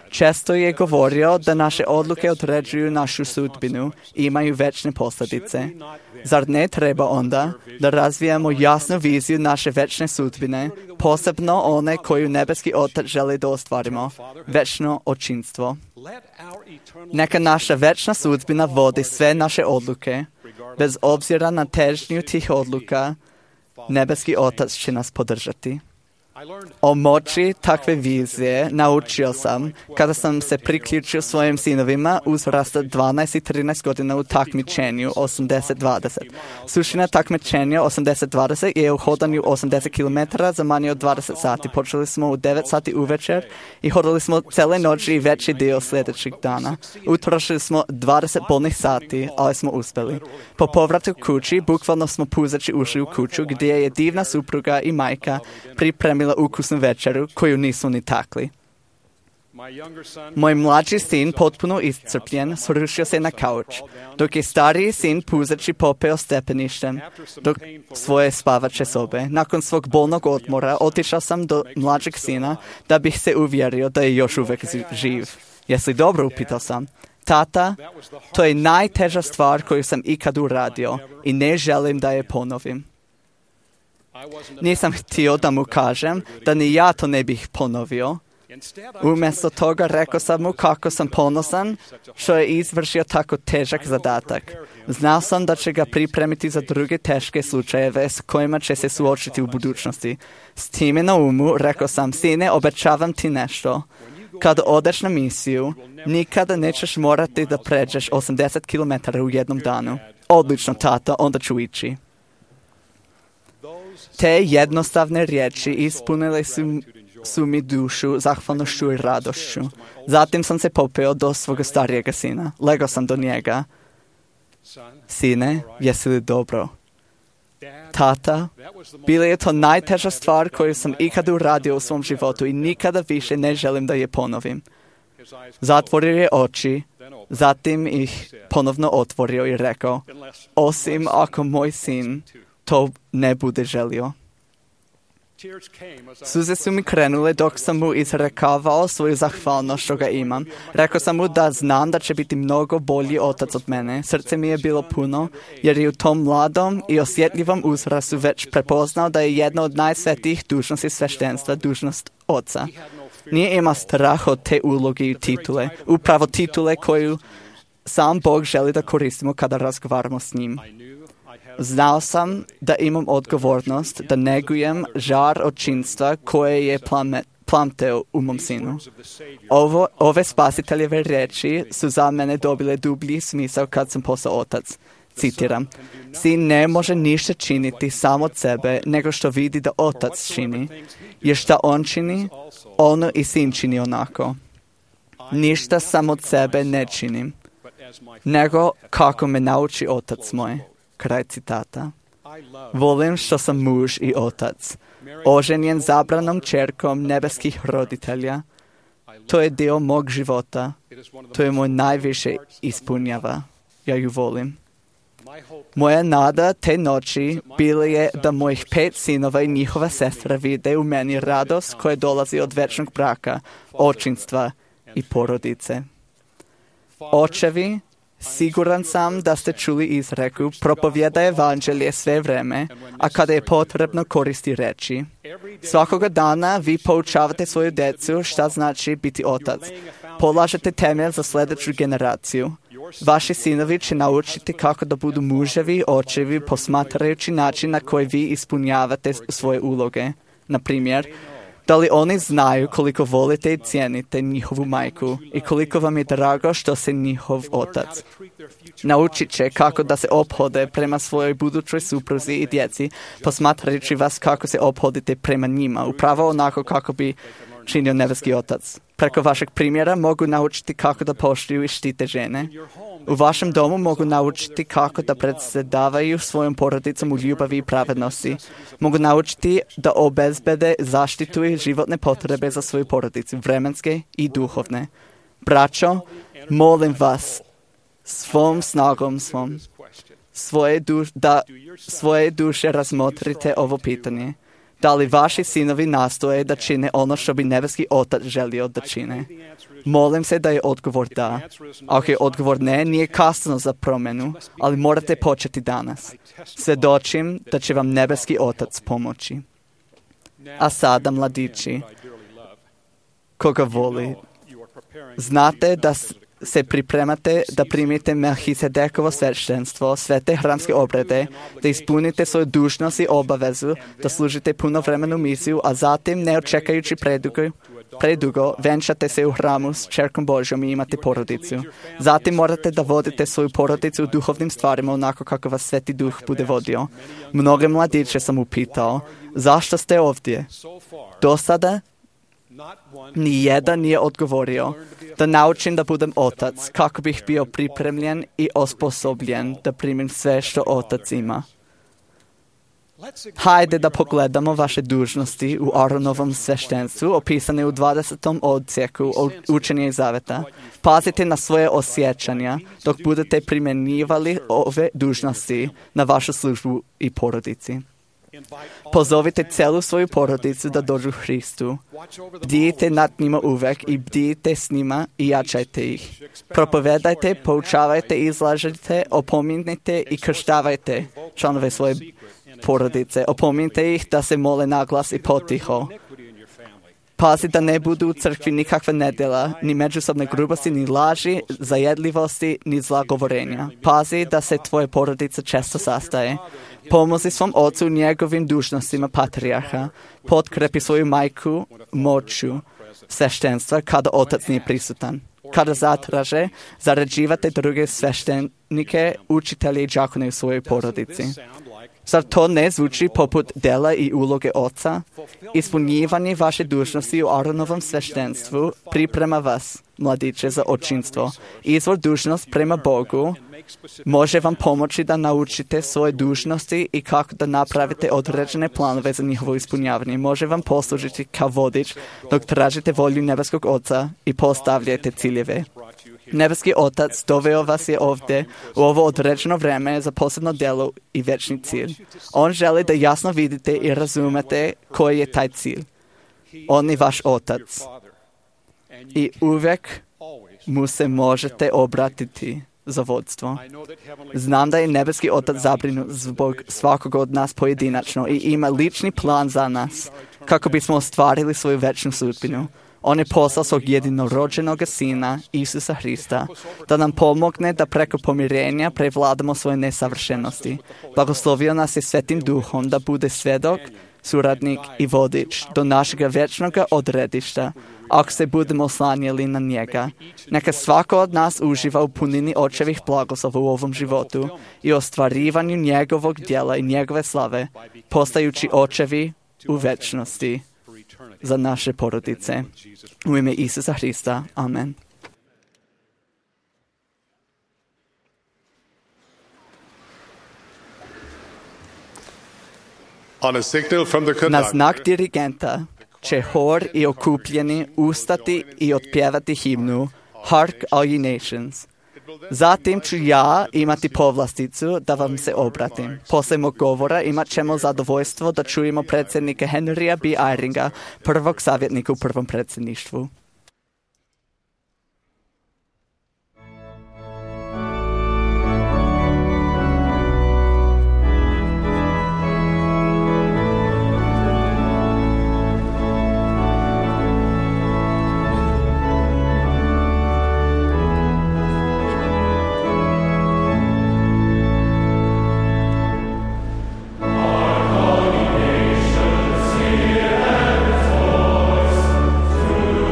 često je govorio da naše odluke određuju našu sudbinu i imaju večne posljedice. Zar ne treba onda da razvijamo jasnu viziju naše večne sudbine, posebno one koju nebeski Otac želi da ostvarimo, večno očinstvo? Neka naša večna sudbina vodi sve naše odluke, bez obzira na težnju tih odluka, nebeski Otac će nas podržati. O moći takve vizije naučio sam kada sam se priključio svojim sinovima uzrasta dvanaest i trinaest godina u takmičenju osamdeset dvadeset. Suština takmičenja osamdeset dvadeset je u hodanju osamdeset kilometara za manje od dvadeset sati. Počeli smo u devet sati uvečer i hodali smo cele noći i veći dio sljedećeg dana. Utrošili smo dvadeset bolnih sati, ali smo uspjeli. Po povratu kući, bukvalno smo puzaći ušli u kuću gdje je divna supruga i majka pripremila ukusnu večeru koju nisu ni takli. Moj mlađi sin, potpuno iscrpljen, srušio se na kauč, dok je stariji sin puzaći popeo stepeništem do svoje spavače sobe. Nakon svog bolnog odmora otišao sam do mlađeg sina da bih se uvjerio da je još uvijek živ. Jesi dobro, upitao sam. Tata, to je najteža stvar koju sam ikad uradio i ne želim da je ponovim. Nisam htio da mu kažem da ni ja to ne bih ponovio. Umjesto toga rekao sam mu kako sam ponosan što je izvršio tako težak zadatak. Znao sam da će ga pripremiti za druge teške slučajeve s kojima će se suočiti u budućnosti. S time na umu rekao sam, sine, obećavam ti nešto. Kad odeš na misiju, nikada nećeš morati da pređeš osamdeset kilometara u jednom danu. Odlično, tata, onda ću ići. Te jednostavne riječi ispunile su, su mi dušu zahvalnošću i radošću. Zatim sam se popeo do svog starijega sina. Legao sam do njega. Sine, jesi li dobro? Tata, bila je to najteža stvar koju sam ikada uradio u svom životu i nikada više ne želim da je ponovim. Zatvorio je oči, zatim ih ponovno otvorio i rekao, osim ako moj sin to ne bude želio. Suze su mi krenule dok sam mu izrekavao svoju zahvalnost što ga imam. Rekao sam mu da znam da će biti mnogo bolji otac od mene. Srce mi je bilo puno jer je u tom mladom i osjetljivom uzrastu već prepoznao da je jedna od najsvetijih dužnosti sveštenstva dužnost oca. Nije imao strah od te uloge i titule, upravo titule koju sam Bog želi da koristimo kada razgovaramo s njim. Znao sam da imam odgovornost da negujem žar očinstva koje je plame, plamteo u mom sinu. Ovo, ove spasiteljeve riječi su za mene dobile dublji smisao kad sam postao otac. Citiram, sin ne može ništa činiti samo od sebe nego što vidi da otac čini, jer šta on čini, ono i sin čini onako. Ništa samo od sebe ne činim, nego kako me nauči otac moj. Kraj citata. Volim što sam muž i otac, oženjen zabranom čerkom nebeskih roditelja. To je dio mog života. To je moj najviše ispunjava. Ja ju volim. Moja nada te noći bila je da mojih pet sinova i njihova sestra vide u meni radost koja dolazi od večnog braka, očinstva i porodice. Očevi, siguran sam da ste čuli izreku, propovjedaj evanđelje sve vreme, a kada je potrebno koristi reči. Svakoga dana vi poučavate svoju djecu šta znači biti otac. Polažete temelj za sljedeću generaciju. Vaši sinovi će naučiti kako da budu muževi, očevi, posmatrajući način na koji vi ispunjavate svoje uloge. Na primjer, da li oni znaju koliko volite i cijenite njihovu majku i koliko vam je drago što se njihov otac. Naučit će kako da se ophode prema svojoj budućoj supruzi i djeci, posmatrajući vas kako se ophodite prema njima, upravo onako kako bi činio nebeski Otac. Preko vašeg primjera mogu naučiti kako da poštuju i štite žene. U vašem domu mogu naučiti kako da predsjedavaju svojom porodicom u ljubavi i pravednosti. Mogu naučiti da obezbede zaštitu i životne potrebe za svoju porodicu, vremenske i duhovne. Braćo, molim vas, svom snagom svom, svoje duš, da svoje duše razmotrite ovo pitanje. Da li vaši sinovi nastoje da čine ono što bi nebeski Otac želio da čine? Molim se da je odgovor da. Ako je odgovor ne, nije kasno za promjenu, ali morate početi danas. Svjedočim da će vam nebeski Otac pomoći. A sada, mladići, koga voli, znate da se pripremate da primite Melhisedekovo sveštenstvo, sve te hramske obrede, da ispunite svoju dužnost i obavezu, da služite punovremenu misiju, a zatim, ne očekajući predugo, predugo, venčate se u hramu s čerkom Božjom i imate porodicu. Zatim morate da vodite svoju porodicu u duhovnim stvarima onako kako vas Sveti Duh bude vodio. Mnoge mladiće sam upitao, zašto ste ovdje? Do sada ni jedan nije odgovorio da naučim da budem otac, kako bih bio pripremljen i osposobljen da primim sve što otac ima. Hajde da pogledamo vaše dužnosti u Aronovom sveštenstvu, opisane u dvadesetom odsjeku Učenja i Zaveta. Pazite na svoje osjećanja dok budete primjenjivali ove dužnosti na vašu službu i porodici. Pozovite celu svoju porodicu da dođu Hristu. Bdijte nad njima uvek i bdijte s njima i jačajte ih. Propovedajte, poučavajte, izlažite, opominjite i krštavajte članove svoje porodice. Opominjte ih da se mole naglas i potiho. Pazi da ne budu u crkvi nikakva nedjela, ni međusobne grubosti, ni laži, zajedljivosti, ni zlagovorenja. Pazi da se tvoje porodice često sastaje. Pomozi svom ocu u njegovim dužnostima patrijarha. Potkrepi svoju majku moću sveštenstva kada otac nije prisutan. Kada zatraže, zarađivate druge sveštenike, učitelje i đakone u svojoj porodici. Zar to ne zvuči poput dela i uloge oca? Ispunjivanje vaše dužnosti u Aronovom sveštenstvu priprema vas, mladiće, za očinstvo. Izvor dužnost prema Bogu može vam pomoći da naučite svoje dužnosti i kako da napravite određene planove za njihovo ispunjavanje. Može vam poslužiti kao vodič dok tražite volju nebeskog Oca i postavljate ciljeve. Nebeski Otac doveo vas je ovdje u ovo određeno vreme za posebno djelo i večni cilj. On želi da jasno vidite i razumete koji je taj cilj. On je vaš Otac. I uvijek mu se možete obratiti za vodstvo. Znam da je nebeski Otac zabrinut zbog svakog od nas pojedinačno i ima lični plan za nas kako bismo ostvarili svoju večnu sudbinu. On je poslao svog jedinorođenog Sina, Isusa Hrista, da nam pomogne da preko pomirenja prevladamo svoje nesavršenosti. Blagoslovio nas je Svetim Duhom da bude svjedok, suradnik i vodič do našeg večnog odredišta, ako se budemo oslanjali na njega. Neka svako od nas uživa u punini očevih blagoslova u ovom životu i ostvarivanju njegovog djela i njegove slave, postajući očevi u večnosti za naše porodice. U ime Isusa Hrista. Amen. Na znak dirigenta će hor i okupljeni ustati i otpjevati himnu Hark All Ye Nations. Zatim ću ja imati povlasticu da vam se obratim. Poslije mog govora imat ćemo zadovoljstvo da čujemo predsjednika Henrya B. Eyringa, prvog savjetnika u prvom predsjedništvu.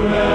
Amen.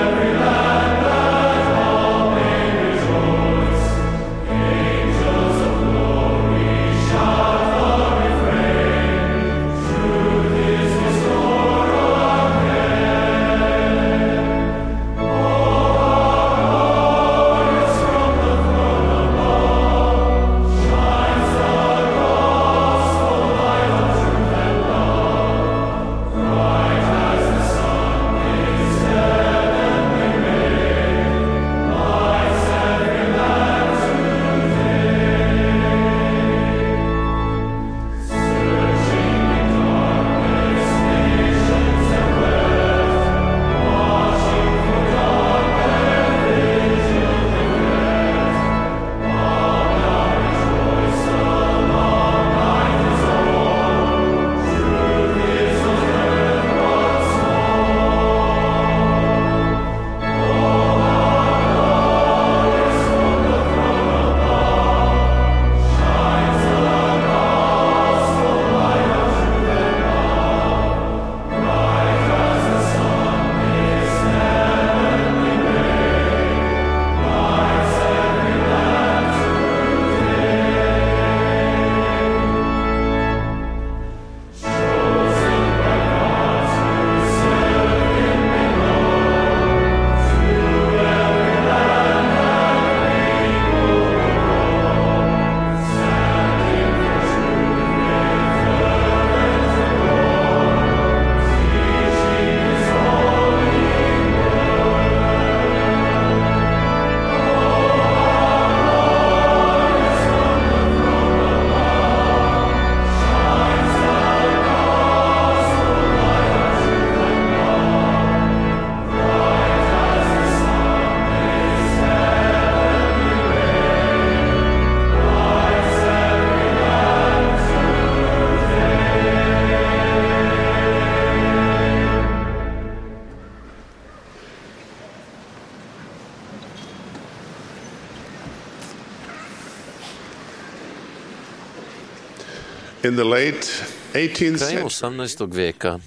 In the late eighteenth Krajem century, osamnaestog vijeka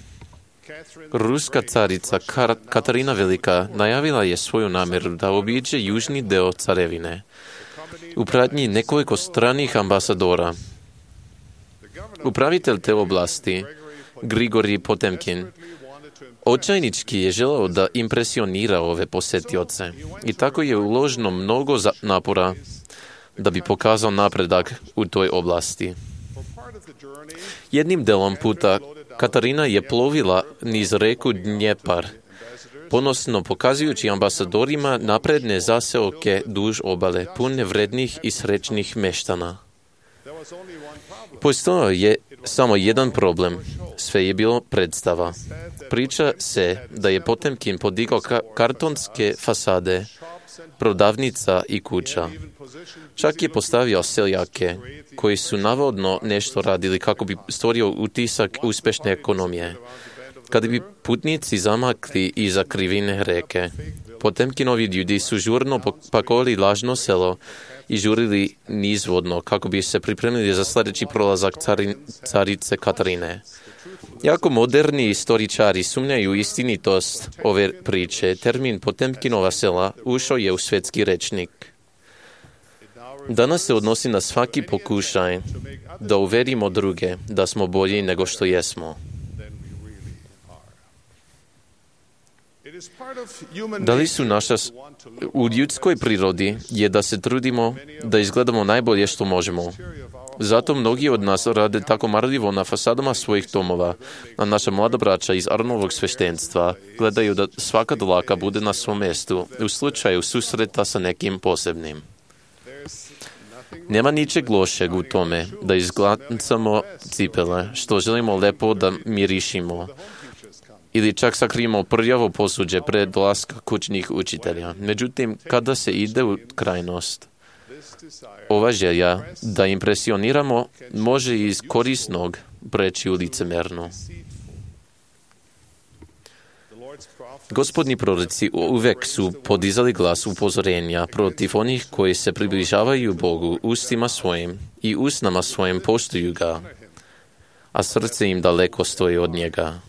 ruska carica Kar- Katarina Velika najavila je svoju namjeru da obiđe južni deo carevine u pratnji nekoliko stranih ambasadora. Upravitelj te oblasti, Grigorij Potemkin, očajnički je želeo da impresionira ove posetioce i tako je uloženo mnogo za- napora da bi pokazao napredak u toj oblasti. Jednim delom puta Katarina je plovila niz reku Dnjepar, ponosno pokazujući ambasadorima napredne zaseoke duž obale, pune vrednih i srećnih meštana. Postojao je samo jedan problem. Sve je bilo predstava. Priča se da je Potemkin podigao ka- kartonske fasade, prodavnica i kuća. Čak je postavio seljake, koji su navodno nešto radili kako bi stvorio utisak uspešne ekonomije. Kada bi putnici zamakli iza krivine reke, Potemkinovi ljudi su žurno pakovali lažno selo i žurili nizvodno kako bi se pripremili za sljedeći prolazak cari, carice Katarine. Jako moderni istoričari sumnjaju istinitost ove priče. Termin Potemkinova sela ušao je u svetski rečnik. Danas se odnosi na svaki pokušaj da uverimo druge da smo bolji nego što jesmo. Da li su naša, u ljudskoj prirodi je da se trudimo da izgledamo najbolje što možemo. Zato mnogi od nas rade tako marljivo na fasadama svojih domova, a naša mlada braća iz Arnovog sveštenstva gledaju da svaka dlaka bude na svom mjestu u slučaju susreta sa nekim posebnim. Nema ničeg lošeg u tome da izglancamo cipele, što želimo lepo da mirišimo, ili čak sakrijemo prljavo posuđe pred dolaska kućnih učitelja. Međutim, kada se ide u krajnost, ova želja da impresioniramo može iz korisnog preći u licemernu. Gospodni proroci uvek su podizali glas upozorenja protiv onih koji se približavaju Bogu ustima svojim i usnama svojim poštuju ga, a srce im daleko stoji od njega.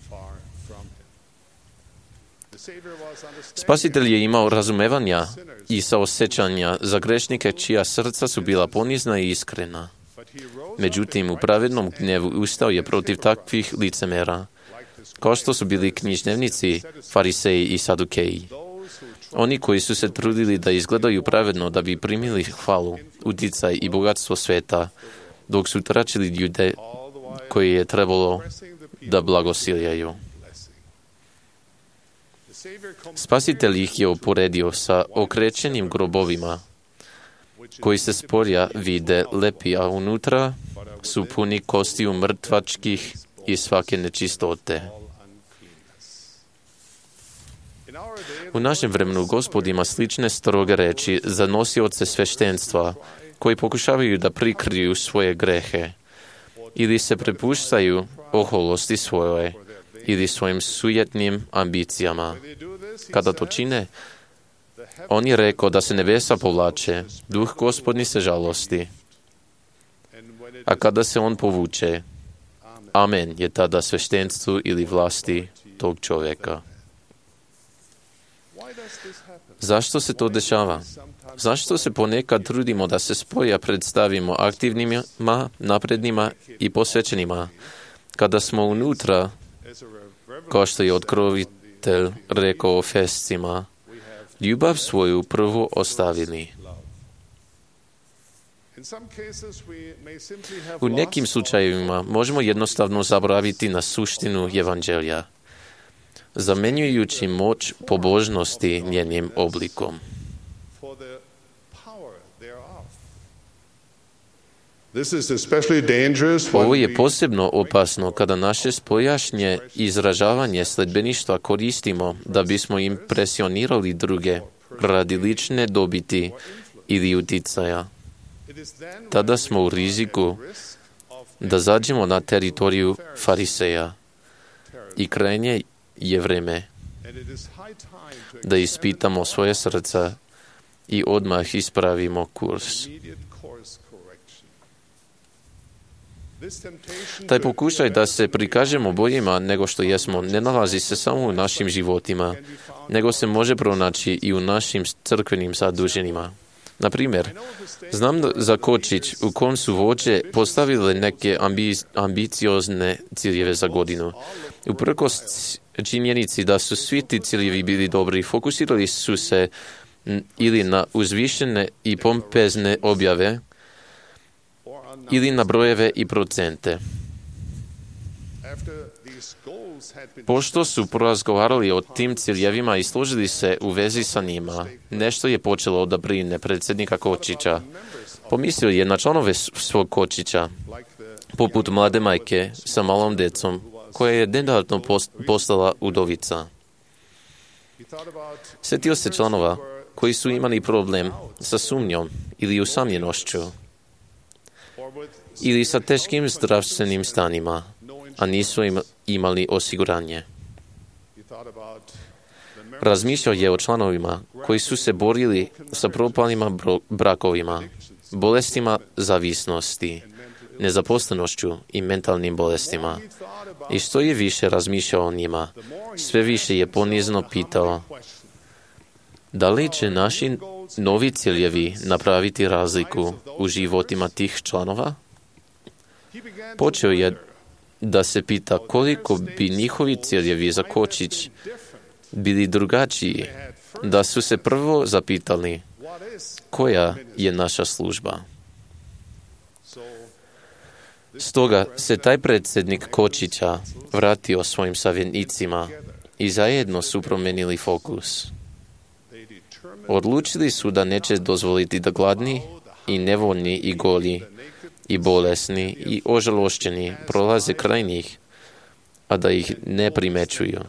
Spasitelj je imao razumevanja i saosjećanja za grešnike čija srca su bila ponizna i iskrena. Međutim, u pravednom gnjevu ustao je protiv takvih licemera, kao što su bili književnici, fariseji i sadukeji. Oni koji su se trudili da izgledaju pravedno da bi primili hvalu, uticaj i bogatstvo sveta, dok su tračili ljude koji je trebalo da blagosiljaju. Spasitelj ih je uporedio sa okrećenim grobovima, koji se spolja vide lepi, a unutra su puni kostiju mrtvačkih i svake nečistote. U našem vremenu Gospod ima slične stroge reči za nosioce sveštenstva, koji pokušavaju da prikriju svoje grehe, ili se prepuštaju oholosti svoje, ili svojim sujetnim ambicijama. Kada to čine, on je rekao da se nebesa povlače, duh Gospodnji se žalosti. A kada se on povuče, amen je tada sveštenstvu ili vlasti tog čovjeka. Zašto se to dešava? Zašto se ponekad trudimo da se spoja predstavimo aktivnima, naprednima i posvećenima, kada smo unutra, kao što je otkrovitelj rekao o Fescima, ljubav svoju prvo ostavili. U nekim slučajevima možemo jednostavno zaboraviti na suštinu evanđelja, zamenjujući moć pobožnosti njenim oblikom. Ovo je posebno opasno kada naše spojašnje izražavanje sledbeništva koristimo da bismo impresionirali druge radi lične dobiti ili uticaja. Tada smo u riziku da zađemo na teritoriju fariseja i krajnje je vreme da ispitamo svoje srca i odmah ispravimo kurs. Taj pokušaj da se prikažemo boljima nego što jesmo ne nalazi se samo u našim životima, nego se može pronaći i u našim crkvenim zaduženjima. Na primjer, znam za kočić u kom su vođe postavile neke ambi- ambiciozne ciljeve za godinu. Uprkos činjenici da su svi ti ciljevi bili dobri, fokusirali su se ili na uzvišene i pompezne objave, ili na brojeve i procente. Pošto su porazgovarali o tim ciljevima i složili se u vezi sa njima, nešto je počelo da brine predsjednika Kočića. Pomislio je na članove svog Kočića, poput mlade majke sa malom decom, koja je nedavno postala udovica. Sjetio se članova koji su imali problem sa sumnjom ili usamljenošću, ili sa teškim zdravstvenim stanjima, a nisu im imali osiguranje. Razmišljao je o članovima koji su se borili sa propalima brakovima, bolestima zavisnosti, nezaposlenošću i mentalnim bolestima. I što je više razmišljao o njima, sve više je ponizno pitao: da li će naši novi ciljevi napraviti razliku u životima tih članova? Počeo je da se pita koliko bi njihovi ciljevi za Kočić bili drugačiji, da su se prvo zapitali koja je naša služba. Stoga se taj predsjednik Kočića vratio svojim savjetnicima i zajedno su promijenili fokus. Odlučili su da neće dozvoliti da gladni i nevoljni i goli i bolesni i ožalošćeni prolaze kraj njih, a da ih ne primećuju.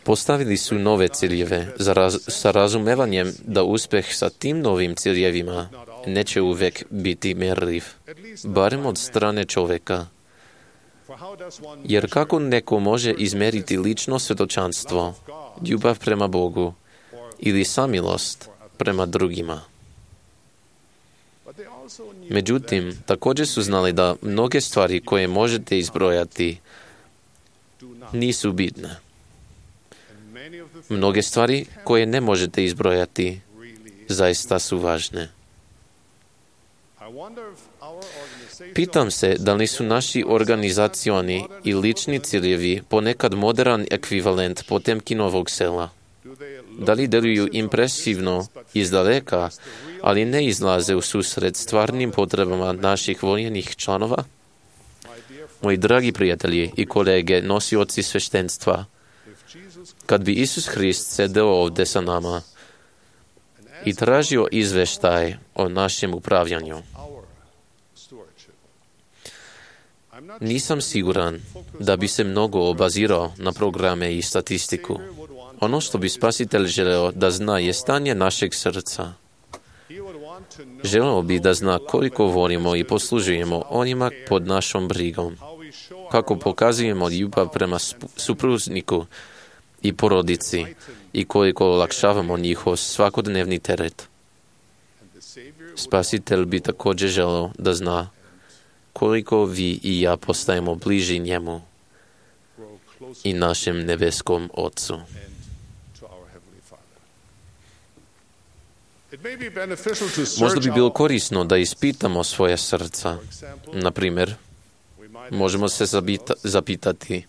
Postavili su nove ciljeve za raz, sa razumevanjem da uspjeh sa tim novim ciljevima neće uvijek biti mjerljiv, barem od strane čovjeka. Jer kako neko može izmeriti lično svjedočanstvo, ljubav prema Bogu ili samilost prema drugima? Međutim, također su znali da mnoge stvari koje možete izbrojati nisu bitne. Mnoge stvari koje ne možete izbrojati zaista su važne. Pitam se da li su naši organizacioni i lični ciljevi ponekad modern ekvivalent Potemkinovog sela. Da li deluju impresivno izdaleka, ali ne izlaze u susret stvarnim potrebama naših voljenih članova? Moji dragi prijatelji i kolege, nosioci sveštenstva, kad bi Isus Hrist sedeo ovdje sa nama i tražio izveštaj o našem upravljanju, nisam siguran da bi se mnogo obazirao na programe i statistiku. Ono što bi Spasitelj želeo da zna je stanje našeg srca. Želeo bi da zna koliko volimo i poslužujemo onima pod našom brigom, kako pokazujemo ljubav prema supruzniku i porodici i koliko olakšavamo njihov svakodnevni teret. Spasitelj bi također želeo da zna koliko vi i ja postajemo bliži njemu i našem nebeskom Otcu. Možda bi bilo korisno da ispitamo svoje srca. Na primjer, možemo se zabita, zapitati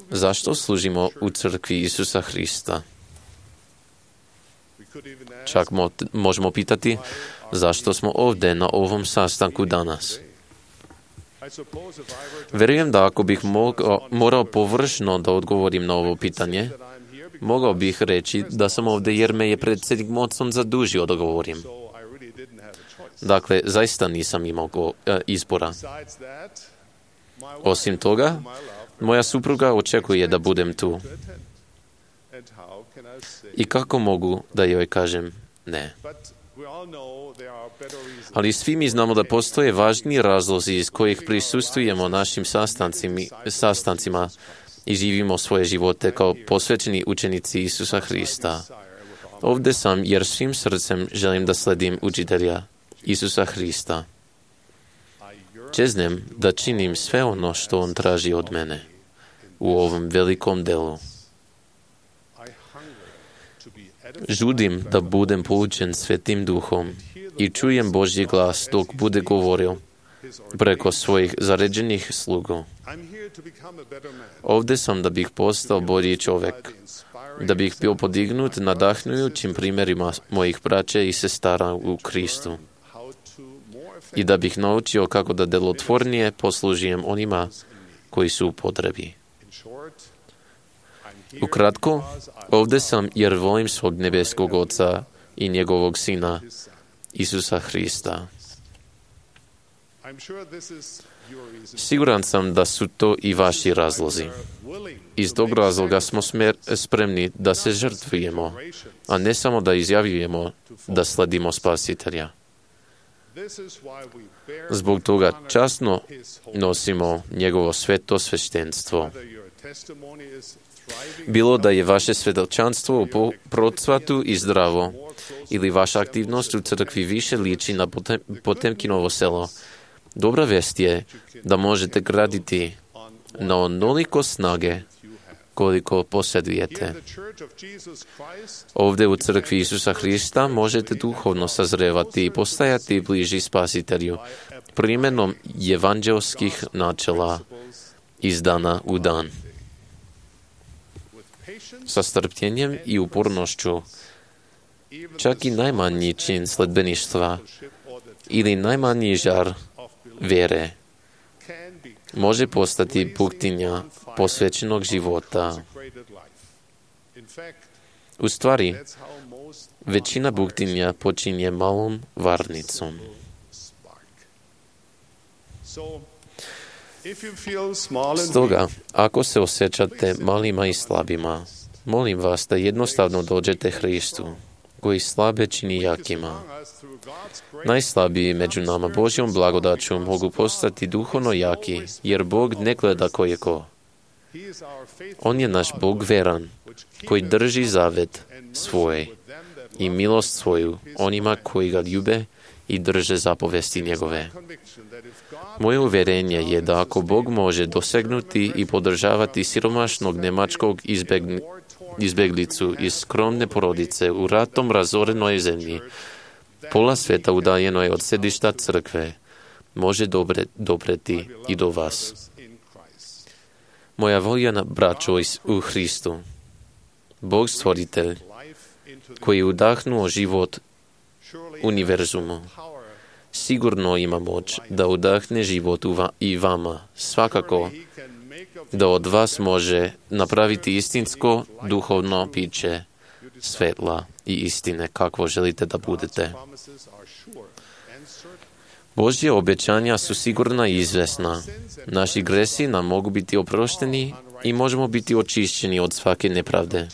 zašto služimo u crkvi Isusa Hrista. Čak mo, možemo pitati zašto smo ovdje na ovom sastanku danas. Vjerujem da ako bih mogao, morao površno da odgovorim na ovo pitanje, mogao bih reći da sam ovdje jer me je predsjednik Monson zadužio da govorim. Dakle, zaista nisam imao go, e, izbora. Osim toga, moja supruga očekuje da budem tu. I kako mogu da joj kažem ne? Ali svi mi znamo da postoje važni razlozi iz kojih prisustujemo našim sastancima i živimo svoje živote kao posvećeni učenici Isusa Hrista. Ovdje sam jer svim srcem želim da sledim učitelja Isusa Hrista. Čeznem da činim sve ono što on traži od mene u ovom velikom delu. Žudim da budem poučen Svetim Duhom i čujem Božji glas dok bude govorio preko svojih zaređenih slugu. Ovdje sam da bih postao bolji čovjek, da bih bio podignut nadahnujućim primjerima mojih braće i sestara u Kristu i da bih naučio kako da delotvornije poslužijem onima koji su u potrebi. Ukratko, ovdje sam jer volim svog nebeskog Oca i njegovog Sina, Isusa Hrista. Siguran sam da su to i vaši razlozi. Iz tog razloga smo spremni da se žrtvujemo, a ne samo da izjavljujemo da sledimo Spasitelja. Zbog toga časno nosimo njegovo sveto sveštenstvo. Bilo da je vaše svjedočanstvo u procvatu i zdravo, ili vaša aktivnost u crkvi više liči na Potemkinovo selo, dobra vest je da možete graditi na onoliko snage koliko posjedujete. Ovdje u crkvi Isusa Hrista možete duhovno sazrevati i postajati bliži Spasitelju primjenom evanđelskih načela iz dana u dan. Sa strpljenjem i upornošću čak i najmanji čin sledbeništva ili najmanji žar vjere može postati puktinja posvećenog života. U stvari, većina buktinja počinje malom varnicom. Stoga, ako se osjećate malima i slabima, molim vas da jednostavno dođete Hristu, koji slabe čini jakima. Najslabiji među nama Božjom blagodaću mogu postati duhovno jaki, jer Bog ne gleda ko je ko. On je naš Bog veran, koji drži zavet svoj i milost svoju onima koji ga ljube i drže zapovesti njegove. Moje uvjerenje je da ako Bog može dosegnuti i podržavati siromašnog njemačkog izbegli, izbeglicu iz skromne porodice u ratom razorenoj zemlji, pola sveta udaljenoj od sedišta crkve, može dobre, dopreti i do vas. Moja voljena braćo u Hristu, Bog stvoritelj, koji je udahnuo život univerzumu, sigurno ima moć da udahne život i vama, svakako da od vas može napraviti istinsko duhovno piće svetla i istine kakvo želite da budete. Božje obećanja su sigurna i izvesna. Naši gresi nam mogu biti oprošteni i možemo biti očišćeni od svake nepravde.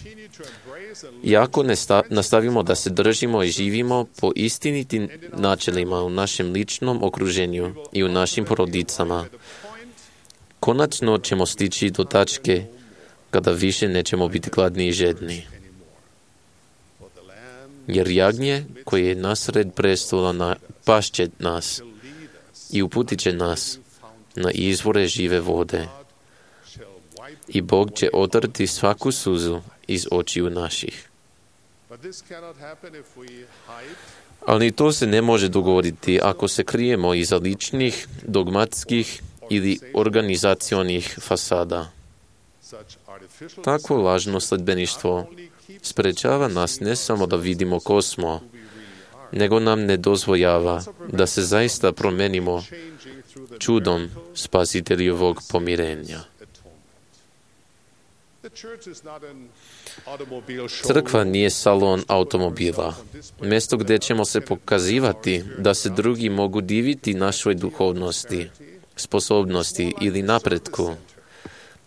I ako ne sta- nastavimo da se držimo i živimo po istinitim načelima u našem ličnom okruženju i u našim porodicama, konačno ćemo stići do tačke kada više nećemo biti gladni i žedni. Jer jagnje koje je nasred prestola na pašće nas i uputit će nas na izvore žive vode. I Bog će otrti svaku suzu iz očiju naših. Ali to se ne može dogoditi ako se krijemo iza ličnih, dogmatskih ili organizacionih fasada. Takvo lažno sledbeništvo sprečava nas ne samo da vidimo ko smo, nego nam ne dozvoljava da se zaista promenimo čudom Spasiteljevog pomirenja. Crkva nije salon automobila, mjesto gdje ćemo se pokazivati da se drugi mogu diviti našoj duhovnosti, sposobnosti ili napretku.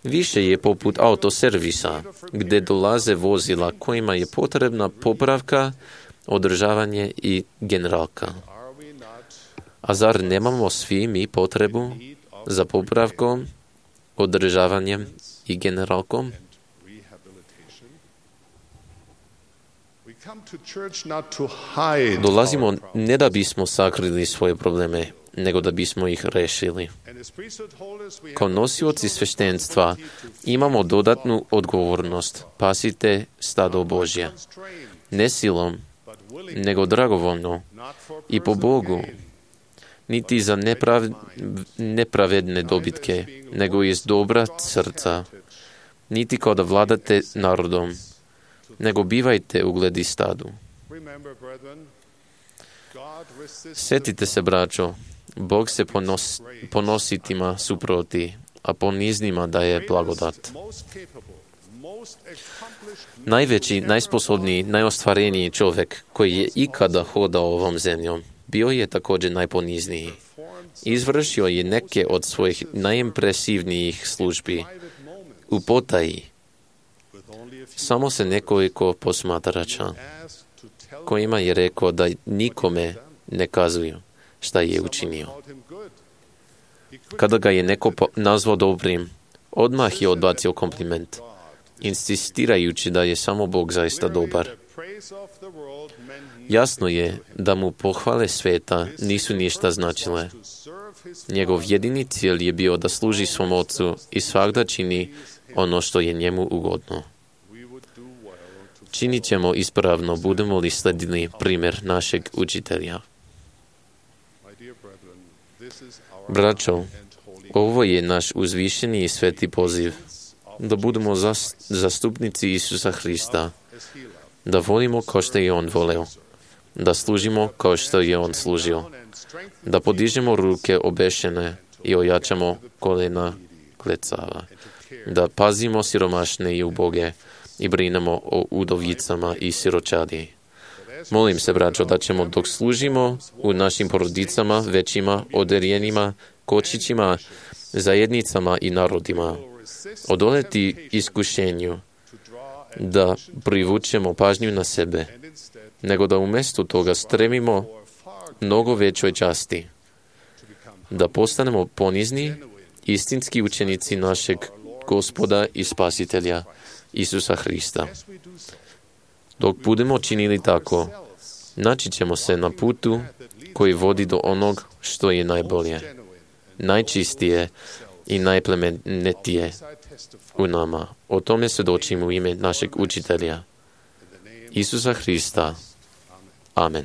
Više je poput autoservisa, gdje dolaze vozila kojima je potrebna popravka, održavanje i generalka. A zar nemamo svi mi potrebu za popravkom, održavanjem i generalkom? Dolazimo ne da bismo sakrili svoje probleme, nego da bismo ih rešili. Kao nosioci sveštenstva imamo dodatnu odgovornost. Pasite stado Božje. Ne silom, nego dragovoljno i po Bogu. Niti za neprav, nepravedne dobitke, nego iz dobra srca. Niti kao da vladate narodom, nego bivajte ugledi stadu. Sjetite se, braćo, Bog se ponos, ponositima suproti, a poniznima daje blagodat. Najveći, najsposobniji, najostvareniji čovjek koji je ikada hodao ovom zemljom, bio je također najponizniji. Izvršio je neke od svojih najimpresivnijih službi u potaji. Samo se nekoliko posmatrača kojima je rekao da nikome ne kazuju šta je učinio. Kada ga je neko nazvao dobrim, odmah je odbacio kompliment, insistirajući da je samo Bog zaista dobar. Jasno je da mu pohvale sveta nisu ništa značile. Njegov jedini cilj je bio da služi svom ocu i svakda čini ono što je njemu ugodno. Činit ćemo ispravno, budemo li sledili primjer našeg učitelja. Braćo, ovo je naš uzvišeni i sveti poziv, da budemo zastupnici Isusa Hrista, da volimo kao što je On voleo, da služimo kao što je On služio, da podižemo ruke obešene i ojačamo kolena klecava, da pazimo siromašne i uboge i brinemo o udovicama i siročadi. Molim se, braćo, da ćemo dok služimo u našim porodicama, većima, oderjenima, kočićima, zajednicama i narodima, odoleti iskušenju da privučemo pažnju na sebe, nego da umjesto toga stremimo mnogo većoj časti, da postanemo ponizni, istinski učenici našeg Gospoda i Spasitelja, Isusa Hrista. Dok budemo činili tako, naći ćemo se na putu koji vodi do onog što je najbolje, najčistije i najplemenitije u nama. O tome svjedočim u ime našeg učitelja, Isusa Hrista. Amen.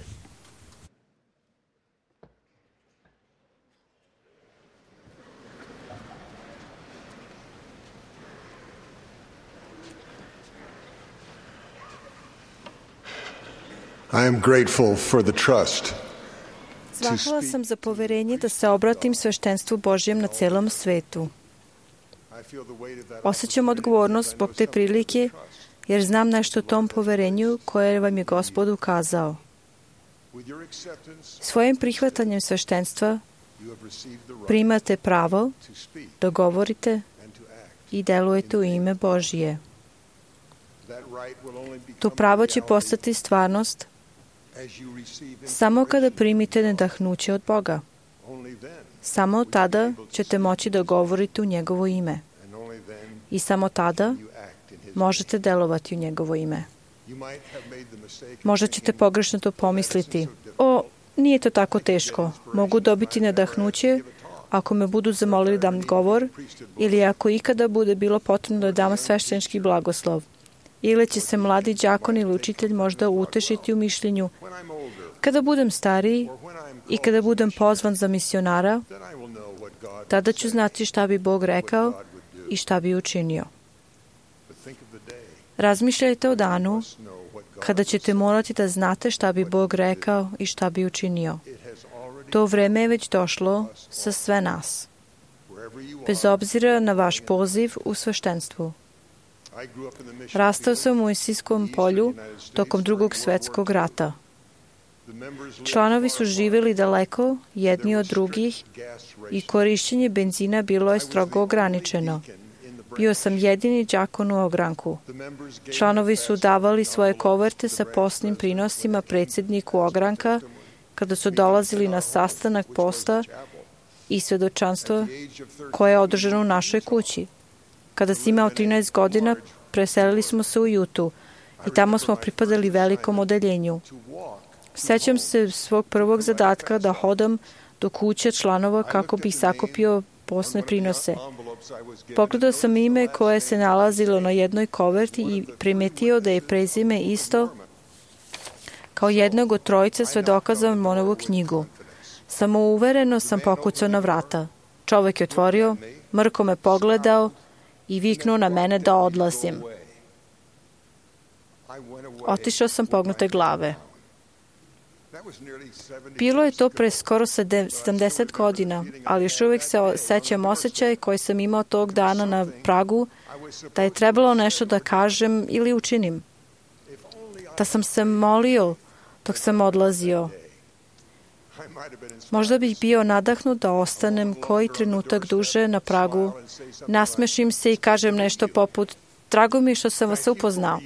I am grateful for the trust. Zahvala sam za poverenje da se obratim sveštenstvu Božjem na celom svetu. Osjećam odgovornost zbog te prilike, jer znam nešto o tom poverenju koje vam je Gospod ukazao. Svojim prihvatanjem sveštenstva primate pravo da govorite i delujete u ime Božije. To pravo će postati stvarnost samo kada primite nadahnuće od Boga. Samo tada ćete moći da govorite u njegovo ime. I samo tada možete delovati u njegovo ime. Možda ćete pogrešno to pomisliti. O, nije to tako teško. Mogu dobiti nadahnuće ako me budu zamolili da dam govor ili ako ikada bude bilo potrebno da dam sveštenički blagoslov. Ili će se mladi đakon ili učitelj možda utešiti u mišljenju. Kada budem stariji i kada budem pozvan za misionara, tada ću znati šta bi Bog rekao i šta bi učinio. Razmišljajte o danu kada ćete morati da znate šta bi Bog rekao i šta bi učinio. To vreme je već došlo sa sve nas, bez obzira na vaš poziv u sveštenstvu. Rastao sam u Mojsijskom polju tokom drugog svjetskog rata. Članovi su živjeli daleko jedni od drugih i korišćenje benzina bilo je strogo ograničeno. Bio sam jedini đakon u ogranku. Članovi su davali svoje koverte sa posnim prinosima predsjedniku ogranka kada su dolazili na sastanak posta i svjedočanstvo koje je održano u našoj kući. Kada sam imao trinaest godina, preselili smo se u Jutu i tamo smo pripadali velikom odeljenju. Sećam se svog prvog zadatka da hodam do kuće članova kako bih sakupio posne prinose. Pogledao sam ime koje se nalazilo na jednoj koverti i primetio da je prezime isto kao jednog od trojice svedoka za Mormonovu knjigu. Samouvereno sam pokucao na vrata. Čovek je otvorio, mrko me pogledao i viknuo na mene da odlazim. Otišao sam pognute glave. Bilo je to pre skoro sedamdeset godina, ali još uvijek se sećam osjećaj koji sam imao tog dana na pragu, da je trebalo nešto da kažem ili učinim. Da sam se molio dok sam odlazio. Možda bih bio nadahnut da ostanem koji trenutak duže na pragu, nasmešim se i kažem nešto poput drago mi što sam vas upoznao.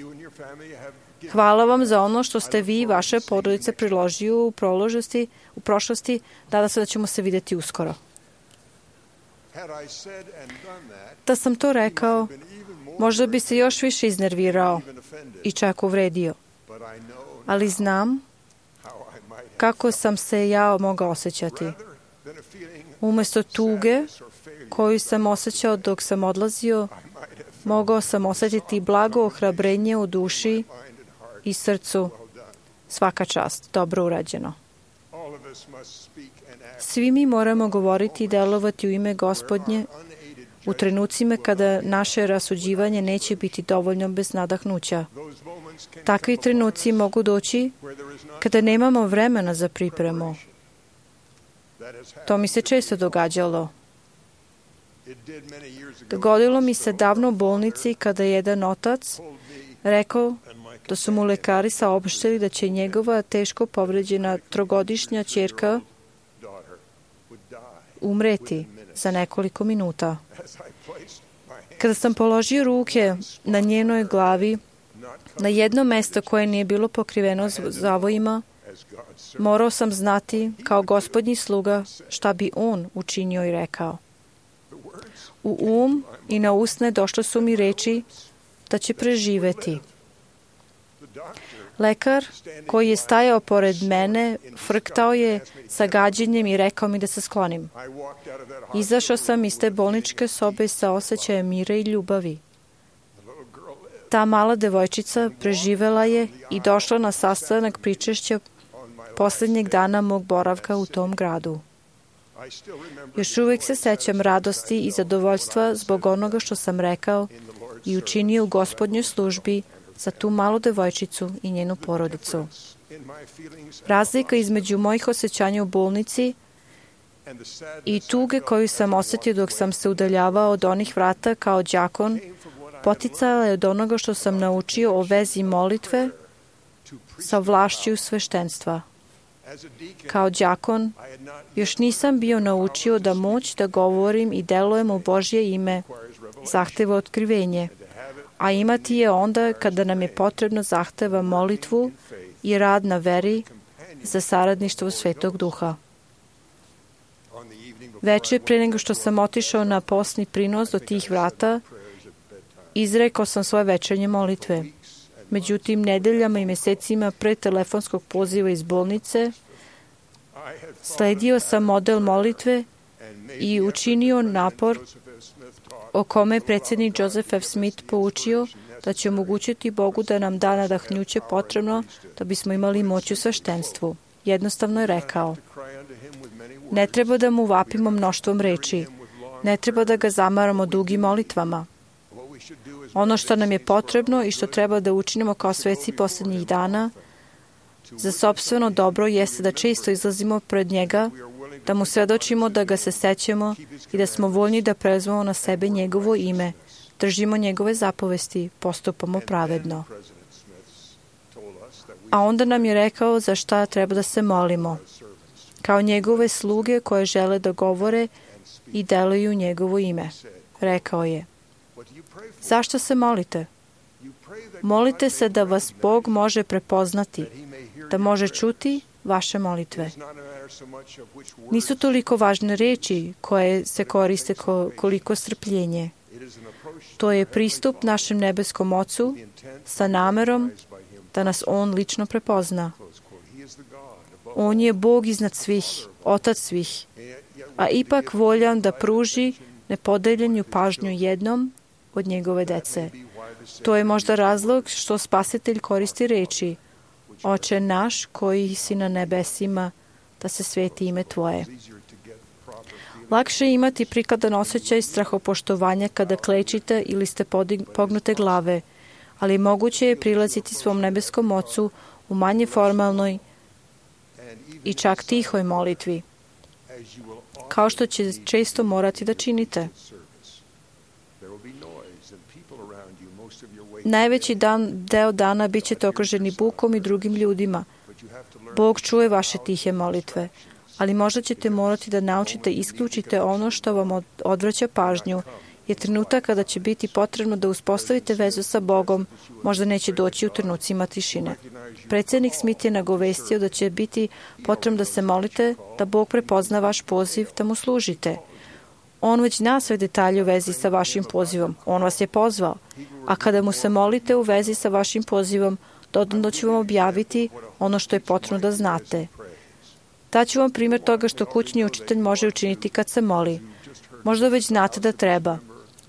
Hvala vam za ono što ste vi i vaše porodice priložili u proložnosti, u prošlosti, nadam se da ćemo se vidjeti uskoro. Da sam to rekao, možda bi se još više iznervirao i čak uvredio. Ali znam kako sam se ja mogao osjećati. Umjesto tuge koju sam osjećao dok sam odlazio, mogao sam osjetiti blago ohrabrenje u duši i srcu. Svaka čast, dobro urađeno. Svi mi moramo govoriti i delovati u ime Gospodnje u trenucima kada naše rasuđivanje neće biti dovoljno bez nadahnuća. Takvi trenuci mogu doći kada nemamo vremena za pripremu. To mi se često događalo. Dogodilo mi se davno u bolnici kada je jedan otac rekao da su mu lekari saopštili da će njegova teško povređena trogodišnja ćerka umreti za nekoliko minuta. Kada sam položio ruke na njenoj glavi, na jedno mesto koje nije bilo pokriveno zavojima, morao sam znati kao Gospodnji sluga šta bi on učinio i rekao. U um i na usne došle su mi reči da će preživeti. Lekar koji je stajao pored mene frktao je sa gađenjem i rekao mi da se sklonim. Izašao sam iz te bolničke sobe sa osjećajem mira i ljubavi. Ta mala devojčica preživela je i došla na sastanak pričešća posljednjeg dana mog boravka u tom gradu. Još uvijek se sećam radosti i zadovoljstva zbog onoga što sam rekao i učinio u Gospodnjoj službi za tu malu devojčicu i njenu porodicu. Razlika između mojih osjećanja u bolnici i tuge koju sam osjetio dok sam se udaljavao od onih vrata kao đakon poticala je od onoga što sam naučio o vezi molitve sa vlašću sveštenstva. Kao đakon još nisam bio naučio da moć da govorim i delujem u Božje ime zahteva otkrivenje, a imati je onda kada nam je potrebno zahteva molitvu i rad na veri za saradništvo Svetog Duha. Veče pre nego što sam otišao na posni prinos do tih vrata, izrekao sam svoje večernje molitve. Međutim, nedeljama i mesecima pre telefonskog poziva iz bolnice, sledio sam model molitve i učinio napor o kome je predsjednik Joseph F. Smith poučio da će omogućiti Bogu da nam da nadahnjuće potrebno da bismo imali moć u sveštenstvu. Jednostavno je rekao, ne treba da mu vapimo mnoštvom reči, ne treba da ga zamaramo dugim molitvama. Ono što nam je potrebno i što treba da učinimo kao sveci posljednjih dana za sopstveno dobro jeste da često izlazimo pred njega, da mu svedočimo da ga se sećamo i da smo voljni da preuzmemo na sebe njegovo ime, držimo njegove zapovesti, postupamo pravedno. A onda nam je rekao za šta treba da se molimo, kao njegove sluge koje žele da govore i deluju njegovo ime. Rekao je, zašto se molite? Molite se da vas Bog može prepoznati, da može čuti vaše molitve. Nisu toliko važne reči koje se koriste koliko strpljenje. To je pristup našem nebeskom Ocu sa namerom da nas On lično prepozna. On je Bog iznad svih, Otac svih, a ipak voljan da pruži nepodeljenju pažnju jednom od njegove dece. To je možda razlog što Spasitelj koristi reči: Oče naš koji si na nebesima, da se sveti ime Tvoje. Lakše je imati prikladan osjećaj strahopoštovanja kada klečite ili ste pognute glave, ali moguće je prilaziti svom nebeskom Ocu u manje formalnoj i čak tihoj molitvi, kao što će često morati da činite. Najveći dan, deo dana bit ćete okruženi bukom i drugim ljudima. Bog čuje vaše tihe molitve, ali možda ćete morati da naučite isključite ono što vam odvraća pažnju, jer trenutak kada će biti potrebno da uspostavite vezu sa Bogom, možda neće doći u trenucima tišine. Predsjednik Smith je nagovestio da će biti potrebno da se molite, da Bog prepozna vaš poziv, da mu služite. On već zna sve detalje u vezi sa vašim pozivom. On vas je pozvao. A kada mu se molite u vezi sa vašim pozivom, dodatno ću vam objaviti ono što je potrebno da znate. Daću vam primjer toga što kućni učitelj može učiniti kad se moli. Možda već znate da treba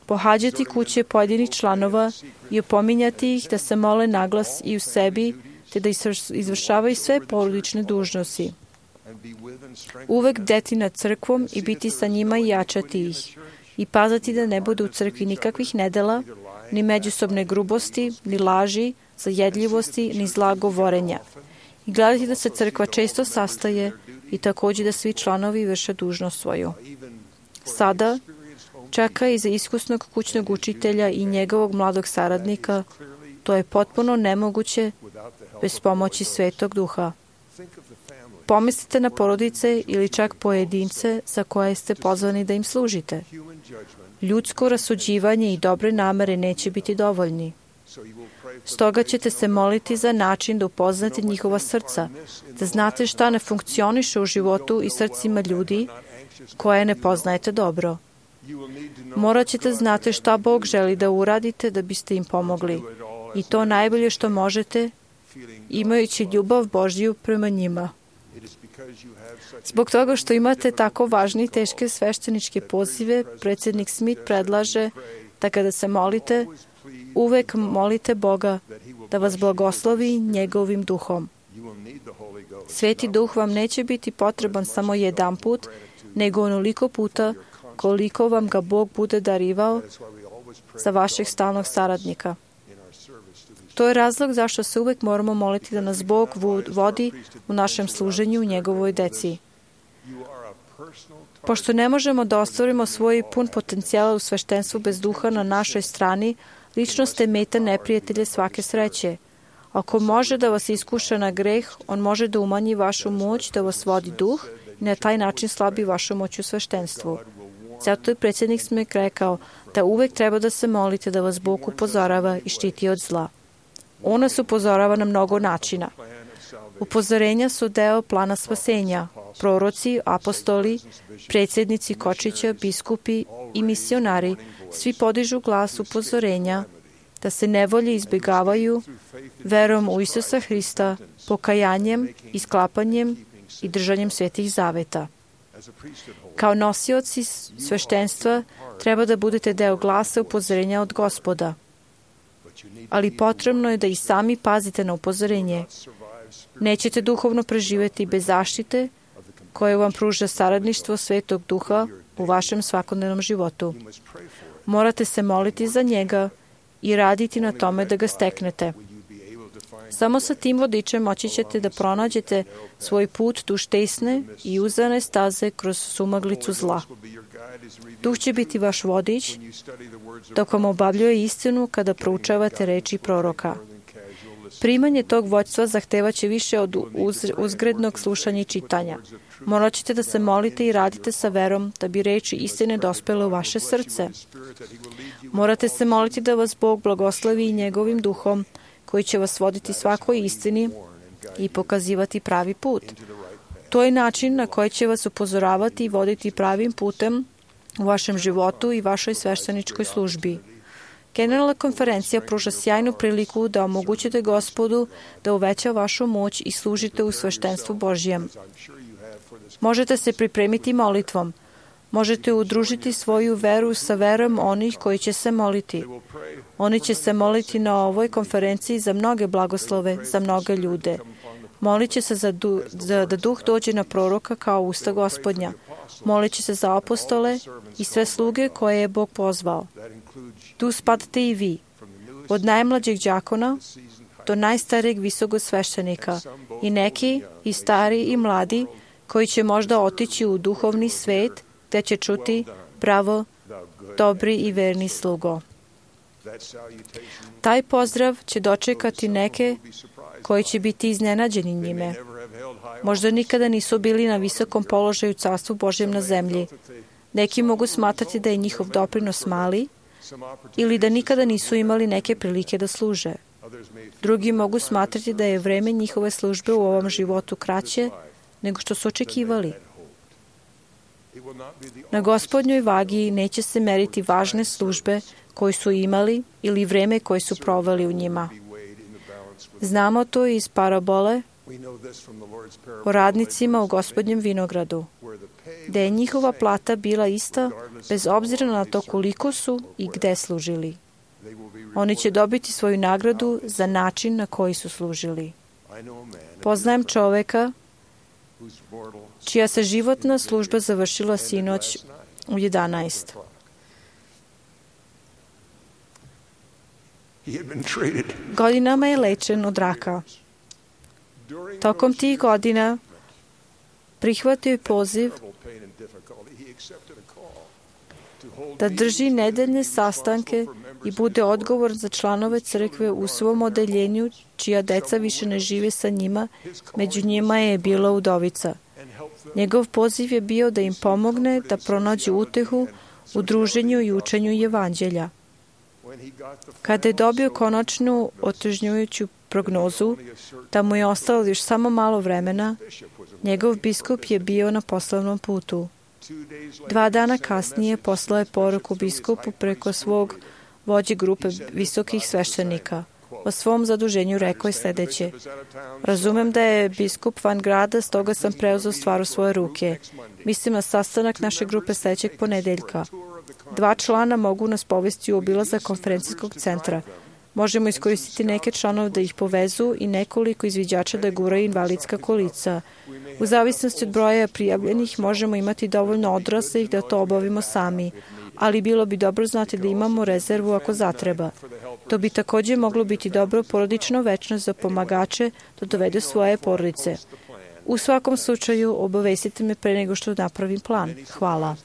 pohađati kuće pojedinih članova i opominjati ih da se mole naglas i u sebi, te da izvršavaju sve porodične dužnosti. Uvek bdeti nad crkvom i biti sa njima i jačati ih. I pazati da ne bude u crkvi nikakvih nedela, ni međusobne grubosti, ni laži, zajedljivosti, ni zla govorenja. I gledati da se crkva često sastaje i također da svi članovi vrše dužnost svoju. Sada čeka i za iskusnog kućnog učitelja i njegovog mladog saradnika. To je potpuno nemoguće bez pomoći Svetog Duha. Pomislite na porodice ili čak pojedince za koje ste pozvani da im služite. Ljudsko rasuđivanje i dobre namere neće biti dovoljni. Stoga ćete se moliti za način da upoznate njihova srca, da znate šta ne funkcioniše u životu i srcima ljudi koje ne poznajete dobro. Morat ćete znati šta Bog želi da uradite da biste im pomogli. I to najbolje što možete, imajući ljubav Božju prema njima. Zbog toga što imate tako važne i teške svešteničke pozive, predsjednik Smith predlaže da kada se molite, uvek molite Boga da vas blagoslovi njegovim duhom. Sveti duh vam neće biti potreban samo jedan put, nego onoliko puta koliko vam ga Bog bude darivao za vašeg stalnog saradnika. To je razlog zašto se uvek moramo moliti da nas Bog vodi u našem služenju njegovoj deci. Pošto ne možemo da ostvarimo svoj pun potencijal u sveštenstvu bez duha na našoj strani, lično ste meta neprijatelje svake sreće. Ako može da vas iskuša na greh, on može da umanji vašu moć da vas vodi duh i na taj način slabi vašu moć u sveštenstvu. Zato je predsjednik Smith rekao da uvek treba da se molite da vas Bog upozorava i štiti od zla. On nas upozorava na mnogo načina. Upozorenja su deo plana spasenja. Proroci, apostoli, predsjednici kočića, biskupi i misionari svi podižu glas upozorenja da se nevolje izbjegavaju verom u Isusa Hrista, pokajanjem, isklapanjem i držanjem svetih zaveta. Kao nosioci sveštenstva treba da budete deo glasa upozorenja od Gospoda. Ali potrebno je da i sami pazite na upozorenje. Nećete duhovno preživjeti bez zaštite koje vam pruža saradništvo Svetog Duha u vašem svakodnevnom životu. Morate se moliti za njega i raditi na tome da ga steknete. Samo sa tim vodičem moći ćete da pronađete svoj put duž tesne i uzane staze kroz sumaglicu zla. Duh će biti vaš vodič dok vam obavljuje istinu kada proučavate reči proroka. Primanje tog vođstva zahtevaće više od uz, uzgrednog slušanja i čitanja. Morat ćete da se molite i radite sa verom da bi reči istine dospele u vaše srce. Morate se moliti da vas Bog blagoslovi i njegovim duhom koji će vas voditi svakoj istini i pokazivati pravi put. To je način na koji će vas upozoravati i voditi pravim putem u vašem životu i vašoj svešteničkoj službi. Generalna konferencija pruža sjajnu priliku da omogućite Gospodu da uveća vašu moć i služite u sveštenstvu Božjem. Možete se pripremiti molitvom. Možete udružiti svoju veru sa verom onih koji će se moliti. Oni će se moliti na ovoj konferenciji za mnoge blagoslove, za mnoge ljude. Molit će se za, du, za da duh dođe na proroka kao usta Gospodnja. Molit će se za apostole i sve sluge koje je Bog pozvao. Tu spadate i vi, od najmlađeg đakona do najstarijeg visokog sveštenika, i neki, i stari, i mladi, koji će možda otići u duhovni svet, gde će čuti: bravo, dobri i verni slugo. Taj pozdrav će dočekati neke koji će biti iznenađeni njime. Možda nikada nisu bili na visokom položaju u Carstvu Božjem na zemlji. Neki mogu smatrati da je njihov doprinos mali ili da nikada nisu imali neke prilike da služe. Drugi mogu smatrati da je vreme njihove službe u ovom životu kraće nego što su očekivali. Na Gospodnjoj vagi neće se meriti važne službe koje su imali ili vreme koje su proveli u njima. Znamo to iz parabole o radnicima u Gospodnjem vinogradu, gde je njihova plata bila ista bez obzira na to koliko su i gde služili. Oni će dobiti svoju nagradu za način na koji su služili. Poznajem čoveka čija se životna služba završila sinoć u jedanaest. Godinama je lečen od raka. Tokom tih godina prihvatio je poziv da drži nedeljne sastanke i bude odgovor za članove crkve u svom odeljenju, čija deca više ne žive sa njima, među njima je bila udovica. Njegov poziv je bio da im pomogne da pronađu utehu u druženju i učenju evanđelja. Kada je dobio konačnu otežnjujuću prognozu da mu je ostalo još samo malo vremena, njegov biskup je bio na poslovnom putu. Dva dana kasnije poslao je poruku biskupu preko svog vođe grupe visokih sveštenika. O svom zaduženju rekao je sljedeće: razumem da je biskup van grada, stoga sam preuzeo stvar u svoje ruke. Mislim na sastanak naše grupe sljedećeg ponedeljka. Dva člana mogu nas povesti u obilazak konferencijskog centra. Možemo iskoristiti neke članove da ih povezu i nekoliko izviđača da guraju invalidska kolica. U zavisnosti od broja prijavljenih možemo imati dovoljno odraslih da to obavimo sami, ali bilo bi dobro znati da imamo rezervu ako zatreba. To bi također moglo biti dobro porodično večno za pomagače da dovedu svoje porodice. U svakom slučaju obavestite me pre nego što napravim plan. Hvala.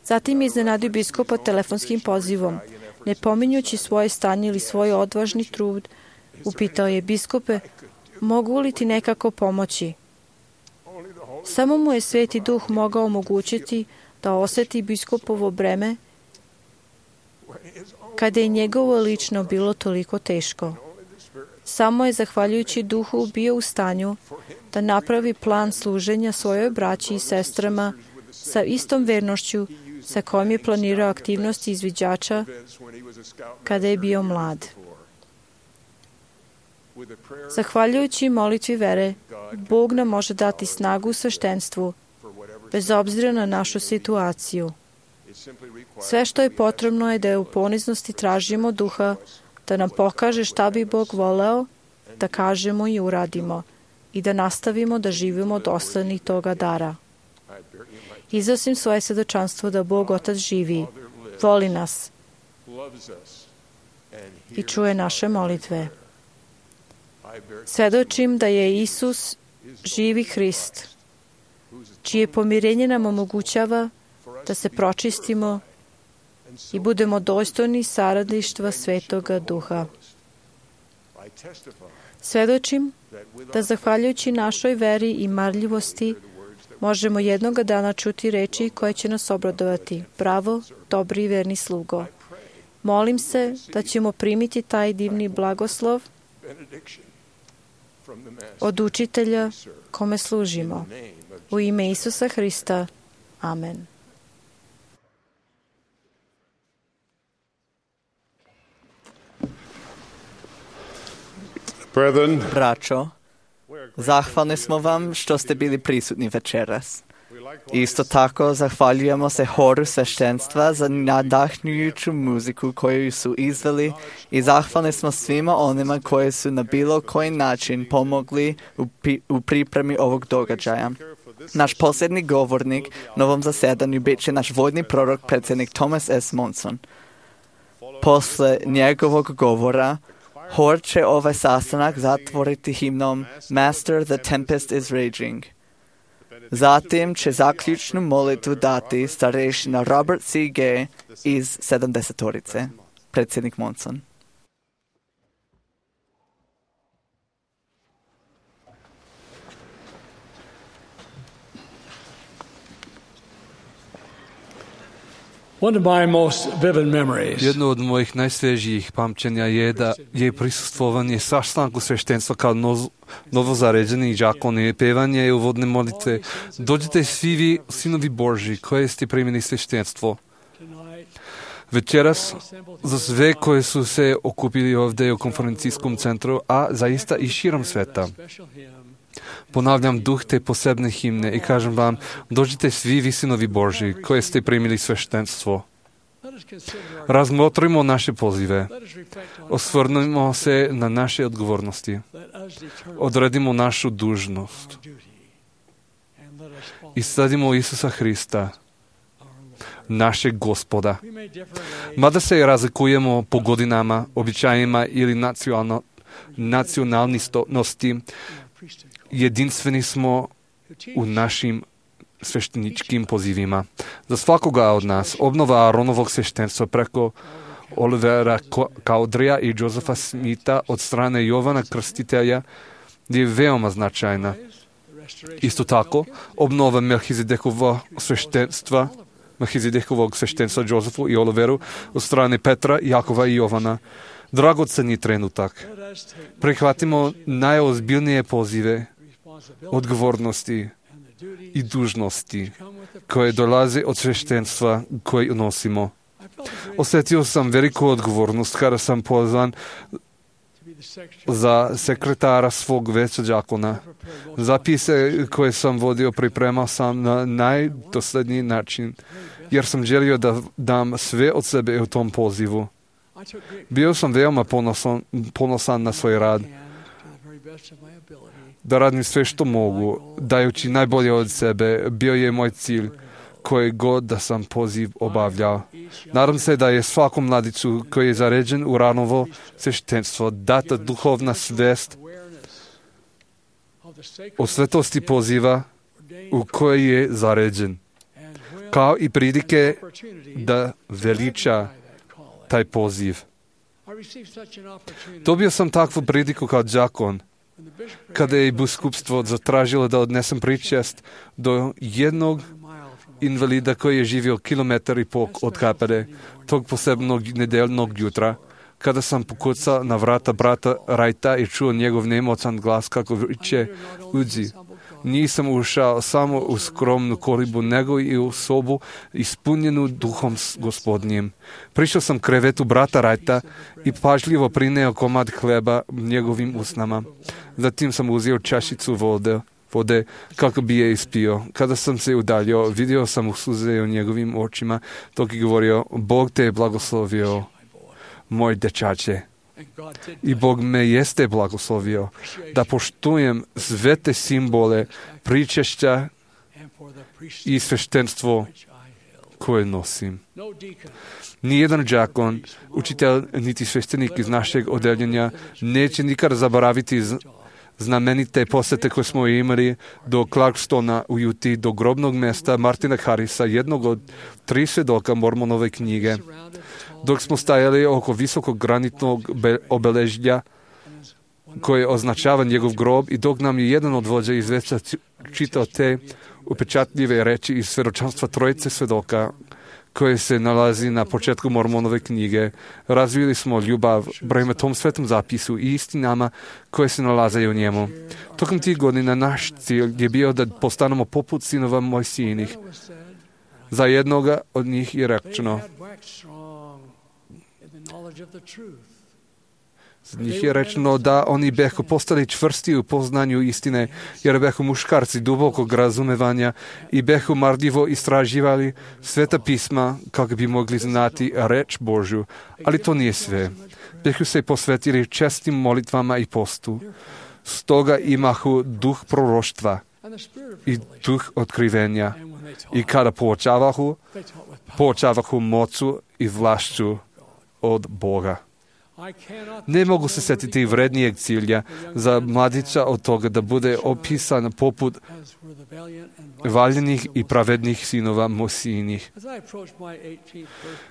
Zatim je iznenadio biskupa telefonskim pozivom. Ne pominjući svoje stanje ili svoj odvažni trud, upitao je: biskupe, mogu li ti nekako pomoći? Samo mu je Sveti Duh mogao omogućiti da osjeti biskupovo breme kada je njegovo lično bilo toliko teško. Samo je zahvaljujući Duhu bio u stanju da napravi plan služenja svojoj braći i sestrama sa istom vernošću sa kojom je planirao aktivnosti izviđača kada je bio mlad. Zahvaljujući molitvi vere, Bog nam može dati snagu u sveštenstvu, bez obzira na našu situaciju. Sve što je potrebno je da je u poniznosti tražimo Duha, da nam pokaže šta bi Bog voleo, da kažemo i uradimo i da nastavimo da živimo dosledni toga dara. Iznosim svoje svedočanstvo da Bog Otac živi, voli nas i čuje naše molitve. Svedočim da je Isus živi Hrist, čije pomirenje nam omogućava da se pročistimo i budemo dostojni saradništva Svetoga Duha. Svedočim da zahvaljujući našoj veri i marljivosti možemo jednoga dana čuti reči koje će nas obradovati. Bravo, dobri i verni slugo. Molim se da ćemo primiti taj divni blagoslov od učitelja kome služimo. U ime Isusa Hrista. Amen. Brethren, Braćo, zahvalni smo vam što ste bili prisutni večeras. Isto tako zahvaljujemo se horu sveštenstva za nadahnjujuću muziku koju su izveli i zahvalni smo svima onima koji su na bilo koji način pomogli u, pi- u pripremi ovog događaja. Naš posljednji govornik na ovom zasedanju bit će naš vojni prorok, predsjednik Thomas S. Monson. Posle njegovog govora, hor će ovaj sastanak zatvoriti himnom Master, the tempest is raging. Zatim će zaključnu molitvu dati starešina Robert C. Gay iz sedamdesetorice, predsjednik Monson. One of my most vivid memories. Jedno od mojih najsvježijih pamćenja je da je prisustvovanje sastanku sveštenstva kao noz, novozaređeni đakoni i pevanje i uvodne molitve. Dođite svi vi, sinovi Božji, koje ste primili sveštenstvo. Večeras, za sve koji su se okupili ovdje u konferencijskom centru, a zaista i širom sveta, ponavljam duh te posebne himne i kažem vam, dođite svi vi, sinovi Božji, koje ste primili sveštenstvo. Razmotrimo naše pozive. Osvrnimo se na naše odgovornosti. Odredimo našu dužnost. I sledimo Isusa Hrista, našeg Gospoda. Mada se razlikujemo po godinama, običajima ili nacionalno, nacionalnosti, jedinstveni smo u našim svešteničkim pozivima. Za svakoga od nas obnova Aaronovog sveštenstva preko Olivera Cowderyja i Josefa Smitha od strane Jovana Krstitelja je veoma značajna. Isto tako, obnova Melchizedekovog sveštenstva Melchizedekovog sveštenstva Josefu i Oliveru od strane Petra, Jakova i Jovana. Dragoceni trenutak. Prihvatimo najozbiljnije pozive, odgovornosti i dužnosti koje dolaze od sveštenstva koje nosimo. Osjetio sam veliku odgovornost kada sam pozvan za sekretara svog veća đakona. Zapise koje sam vodio pripremao sam na najdosledniji način, jer sam želio da dam sve od sebe u tom pozivu. Bio sam veoma ponosan, ponosan na svoj rad, da radim sve što mogu, dajući najbolje od sebe. Bio je moj cilj, koji god da sam poziv obavljao. Nadam se da je svakom mladiću koji je zaređen u Aaronovo sveštenstvo data duhovna svest o svetosti poziva u kojoj je zaređen, kao i prilike da veliča taj poziv. Dobio sam takvu priliku kao đakon, kada je biskupstvo zatražilo da odnesem pričest do jednog invalida koji je živio kilometar i pol od kapede, tog posebnog nedeljnog jutra, kada sam pokucao na vrata brata Rajta i čuo njegov nemoćan glas kako viče, uđi. Nisam ušao samo u skromnu kolibu, nego i u sobu ispunjenu duhom gospodnjim. Prišao sam krevetu brata Rajta i pažljivo prineo komad hleba njegovim usnama. Zatim sam uzeo čašicu vode, vode kako bi je ispio. Kada sam se udaljio, vidio sam u suze u njegovim očima, dok je govorio, Bog te je blagoslovio, moj dečače. I Bog me jeste blagoslovio da poštujem sve te simbole pričešća i sveštenstvo koje nosim. Nijedan đakon, učitelj niti sveštenik iz našeg odeljenja neće nikada zaboraviti znamenite posete koje smo imali do Clarkstona u Juti, do grobnog mjesta Martina Harrisa, jednog od tri svjedoka Mormonove knjige. Dok smo stajali oko visokog granitnog obeležja koje označava njegov grob i dok nam je jedan od vođa iz veća čitao te upečatljive reči iz svjedočanstva trojice svjedoka koje se nalazi na početku Mormonove knjige, razvili smo ljubav prema tom svetom zapisu i istinama koje se nalaze u njemu. Tokom tih godina naš cilj je bio da postanemo poput sinova Mojsijinih. Za jednoga od njih je rečeno, Z njih je rečeno da oni behu postali čvrsti u poznanju istine, jer behu muškarci dubokog razumevanja i behu marljivo istraživali sveta pisma kako bi mogli znati reč Božju. Ali to nije sve. Behu se posvetili čestim molitvama i postu. Stoga imahu duh proroštva i duh otkrivenja. I kada poučavahu, poučavahu mocu i vlašću od Boga. Ne mogu se setiti vrednijeg cilja za mladića od toga da bude opisan poput valjenih i pravednih sinova Mosijinih.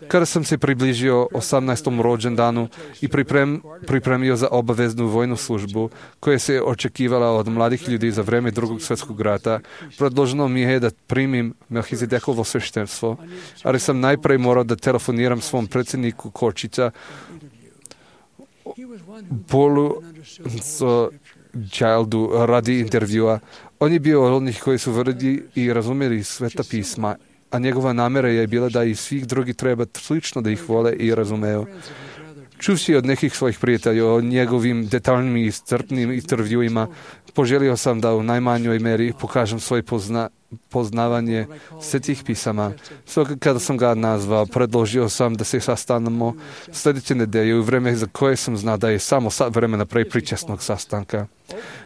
Kada sam se približio osamnaestom rođendanu i priprem, pripremio za obaveznu vojnu službu, koja se očekivala od mladih ljudi za vreme drugog svjetskog rata, predloženo mi je da primim Melhizedekovo sveštenstvo, ali sam najprej morao da telefoniram svom predsjedniku Kočića, Polu Childu radi intervjua. On je bio od onih koji su vrdi i razumjeli sveta pisma, a njegova namjera je bila da i svih drugih treba slično da ih vole i razumeju. Čuvši od nekih svojih prijatelja o njegovim detaljnim i iscrpnim intervjuima, poželio sam da u najmanjoj meri pokažem svoje pozna, poznavanje svetih pisama. Stoga kada sam ga nazvao, predložio sam da se sastanemo sljedeće nedelje u vreme za koje sam znao da je samo sat vremena pre pričesnog sastanka.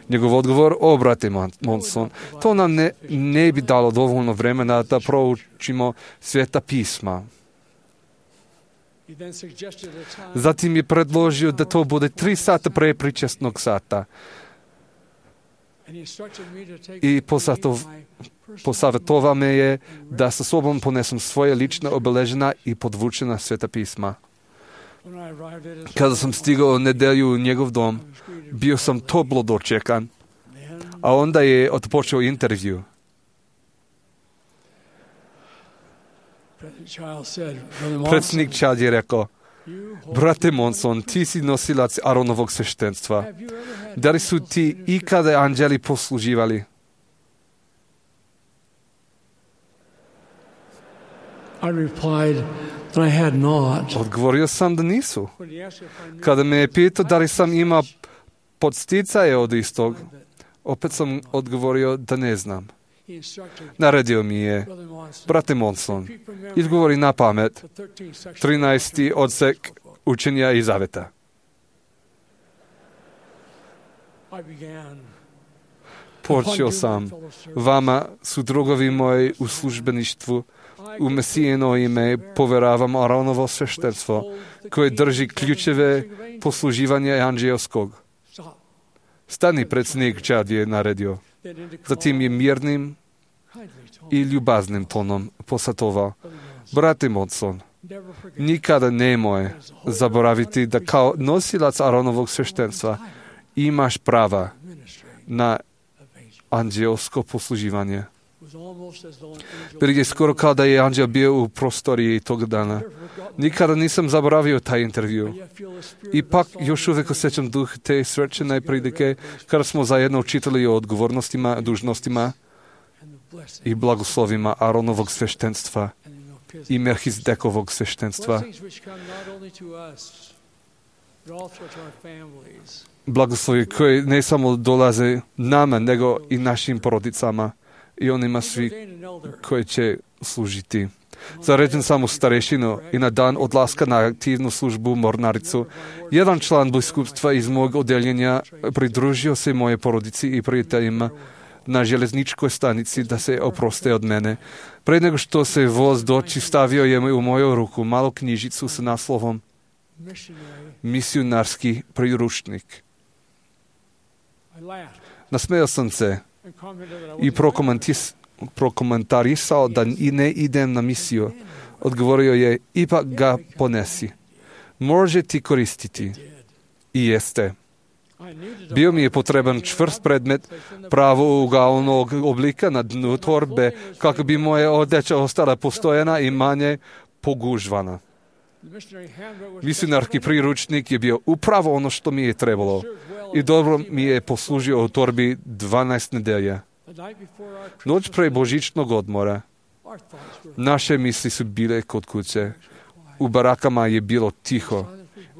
Njegov odgovor: o, brate Monson, to nam ne, ne bi dalo dovoljno vremena da proučimo sveta pisma. Zatim je predložio da to bude tri sata pre pričesnog sata. I posatov, posavjetovao me je da sa sobom ponesem svoje lične obeležena i podvučena sveta pisma. Kada sam stigao nedelju u njegov dom, bio sam toplo dočekan, a onda je odpočeo intervju. Predsjednik Child je rekao: brate Monson, ti si nosilac Aronovog sveštenstva. Da li su ti ikada anđeli posluživali? Odgovorio sam da nisu. Kada me je pitao da li sam imao podsticaje od istog, opet sam odgovorio da ne znam. Naredio mi je: brate Monson, izgovori na pamet trinaesti odsek učenja i zaveta. Počeo sam: vama su drugovi moji u službeništvu, u Mesijino ime poveravam Aronovo sveštenstvo, koje drži ključeve posluživanja anđelskog. Stani, predsjednik Chad je naredio. Zatim je mirnim i ljubaznim tonom posvetovao: brate Monson, nikada nemoj zaboraviti da kao nosilac Aronovog sveštenstva imaš prava na anđelsko posluživanje. Bilo je skoro kao da je anđel bio u prostoriji tog dana. Nikada nisam zaboravio taj intervju. Ipak još uvijek osjećam duh te svečane prilike kada smo zajedno učitali o odgovornostima, dužnostima i blagoslovima Aronovog sveštenstva i Melhizedekovog sveštenstva. Blagoslovi koji ne samo dolaze nama, nego i našim porodicama i onima svi koji će služiti. Zaređen sam u starešinu i na dan odlaska na aktivnu službu u mornaricu, jedan član biskupstva iz mog odjeljenja pridružio se moje porodici i prijateljima na železničkoj stanici da se oproste od mene. Pre nego što se voz doći, stavio je u moju ruku malu knjižicu sa naslovom Misionarski priručnik. Nasmejao sam se i prokomentarisao da i ne idem na misiju. Odgovorio je: ipak ga ponesi. Može ti koristiti. I jeste. Bio mi je potreban čvrst predmet pravougalnog oblika na dnu torbe, kako bi moja odeća ostala postojana i manje pogužvana. Misionarski priručnik je bio upravo ono što mi je trebalo i dobro mi je poslužio u torbi dvanaest nedelja. Noć pre božićnog odmora naše misli su bile kod kuće. U barakama je bilo tiho,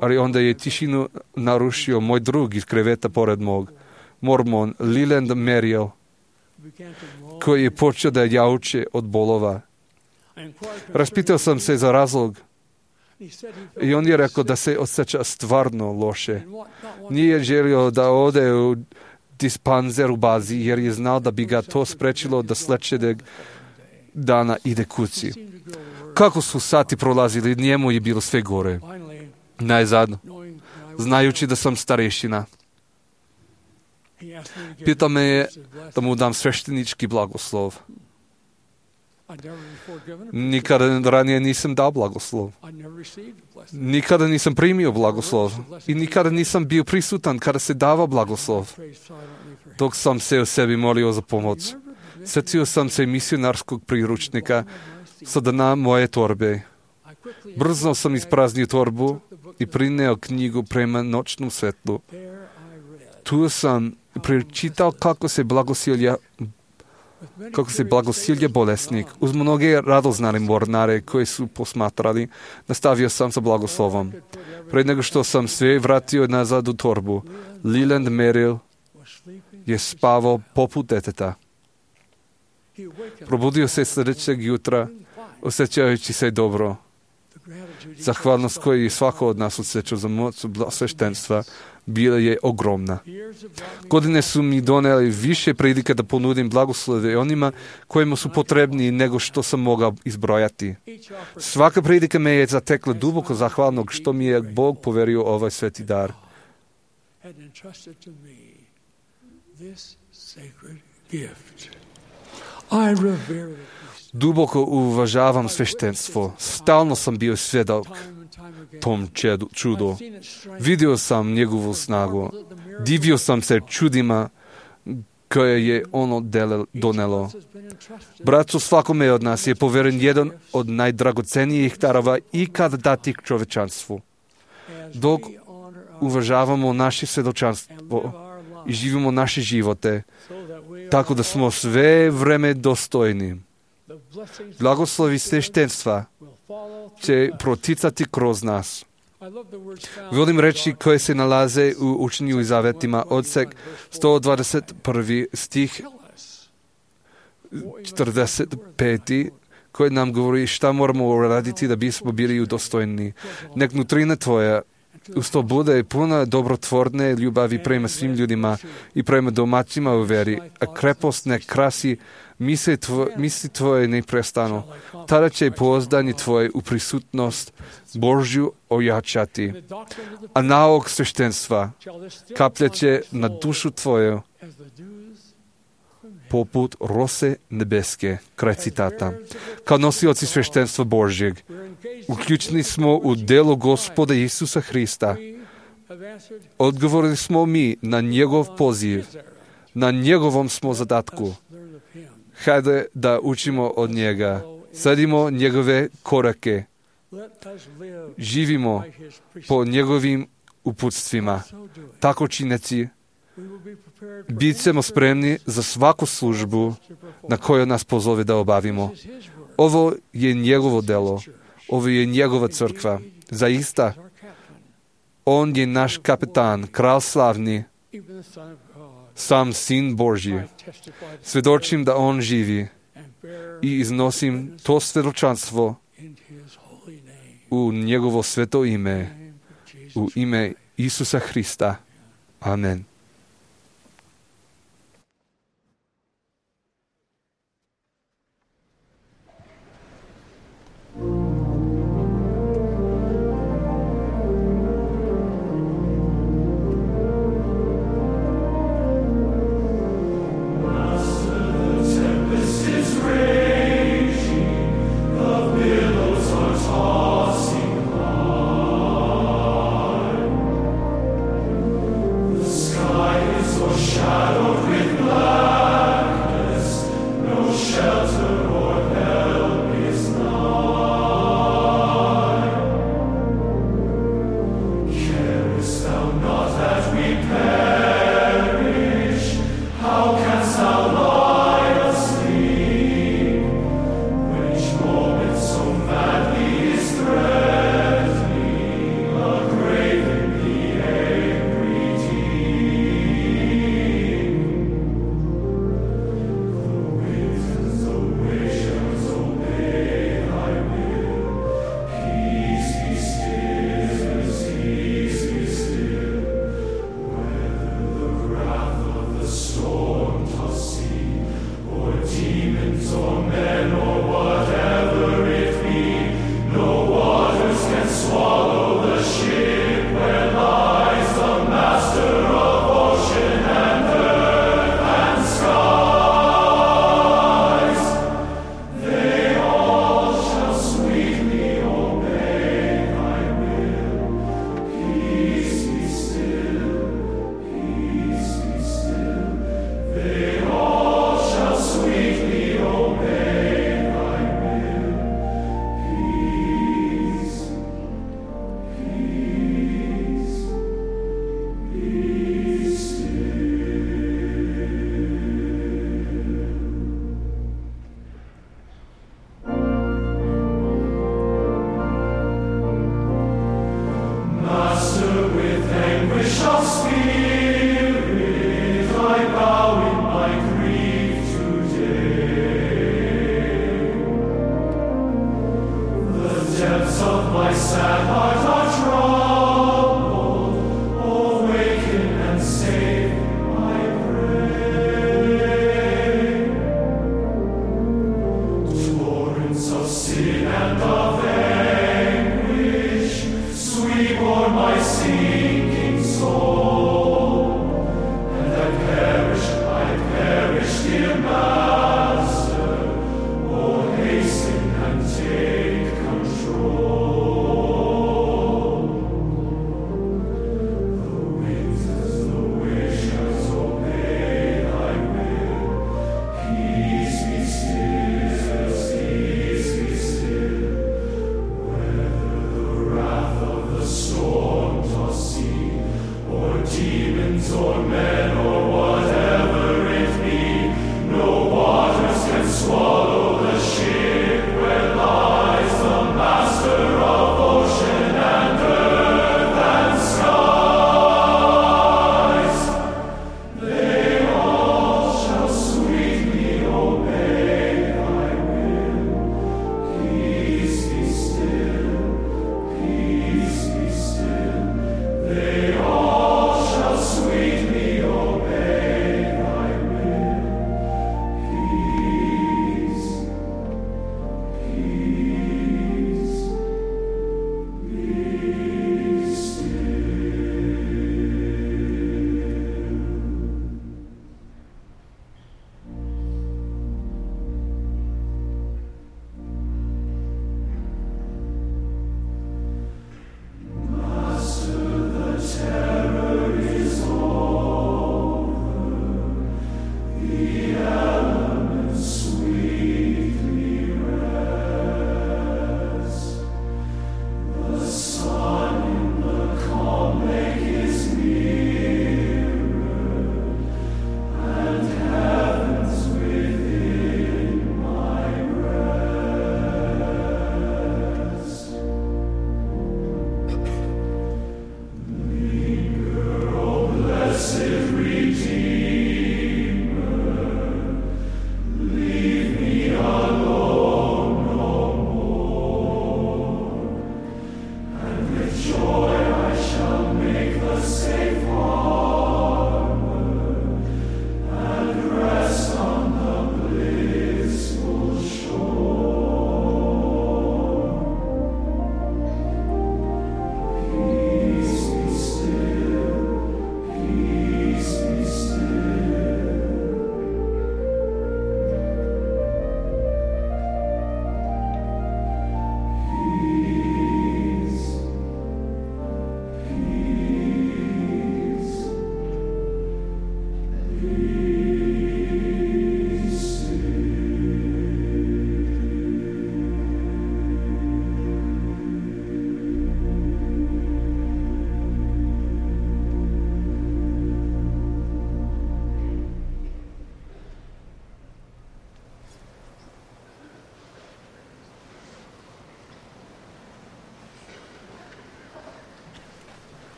ali onda je tišinu narušio moj drug iz kreveta pored mog, mormon Leland Merrill, koji je počeo da jauče od bolova. Raspitao sam se za razlog i on je rekao da se osjeća stvarno loše. Nije želio da ode u dispanzer u bazi jer je znao da bi ga to sprečilo da sljedećeg dana ide kući. Kako su sati prolazili, njemu je bilo sve gore. Najzad, znajući da sam starešina, pitao me je da mu dam sveštenički blagoslov. Nikada ranije nisam dao blagoslov. Nikada nisam primio blagoslov i nikada nisam bio prisutan kada se dava blagoslov. Dok sam se o sebi molio za pomoć, sjetio sam se misionarskog priručnika sa dna moje torbe. Brzo sam ispraznio torbu i prineo knjigu prema noćnom svetlu. Tu sam pročitao kako se blagosilja kako se blagosilja bolesnik. Uz mnoge radoznane mornare koje su posmatrali, nastavio sam sa blagoslovom. Pred nego što sam sve vratio nazad u torbu, Leland Merrill je spavao poput deteta. Probudio se sljedećeg jutra, osjećajući se dobro. Zahvalnost koju je svako od nas osjećao za moć sveštenstva bila je ogromna. Godine su mi doneli više prilike da ponudim blagoslove onima kojima su potrebni nego što sam mogao izbrojati. Svaka prilika me je zatekla duboko zahvalnog što mi je Bog poverio ovaj sveti dar. Duboko uvažavam sveštenstvo. Stalno sam bio svjedok tom čudu. Vidio sam njegovu snagu. Divio sam se čudima koje je ono donelo. Braćo, svakome od nas je poveren jedan od najdragocenijih darova ikad datih čovečanstvu. Dok uvažavamo naše svjedočanstvo i živimo naše živote, tako da smo sve vreme dostojni. Blagoslovi sveštenstva će proticati kroz nas. Volim reći koje se nalaze u učenju i zavetima, odsek sto dvadeset prvi stih četrdeset peti, koji nam govori šta moramo uraditi da bismo bili udostojni. Nek nutrina tvoja uz to bude puna dobrotvorne ljubavi prema svim ljudima i prema domaćima u veri, a krepost nek krasi misli, tvo, misli tvoje neprestano. Tada će pouzdanje tvoje u prisutnost Božju ojačati, a nauk sveštenstva kapljaće na dušu tvoju poput rose nebeske. Kraj citata. Kao nosioci sveštenstva Božjeg, uključeni smo u delo Gospoda Isusa Hrista. Odgovorili smo mi na njegov poziv. Na njegovom smo zadatku. Hajde da učimo od njega. Sledimo njegove korake. Živimo po njegovim uputstvima. Tako čineći, bit ćemo spremni za svaku službu na koju nas pozove da obavimo. Ovo je njegovo delo. Ovo je njegova crkva. Zaista, on je naš kapetan, kralj slavni, sam sin Božji. Svjedočim da on živi i iznosim to svjedočanstvo u njegovo sveto ime, u ime Isusa Hrista. Amen. Sky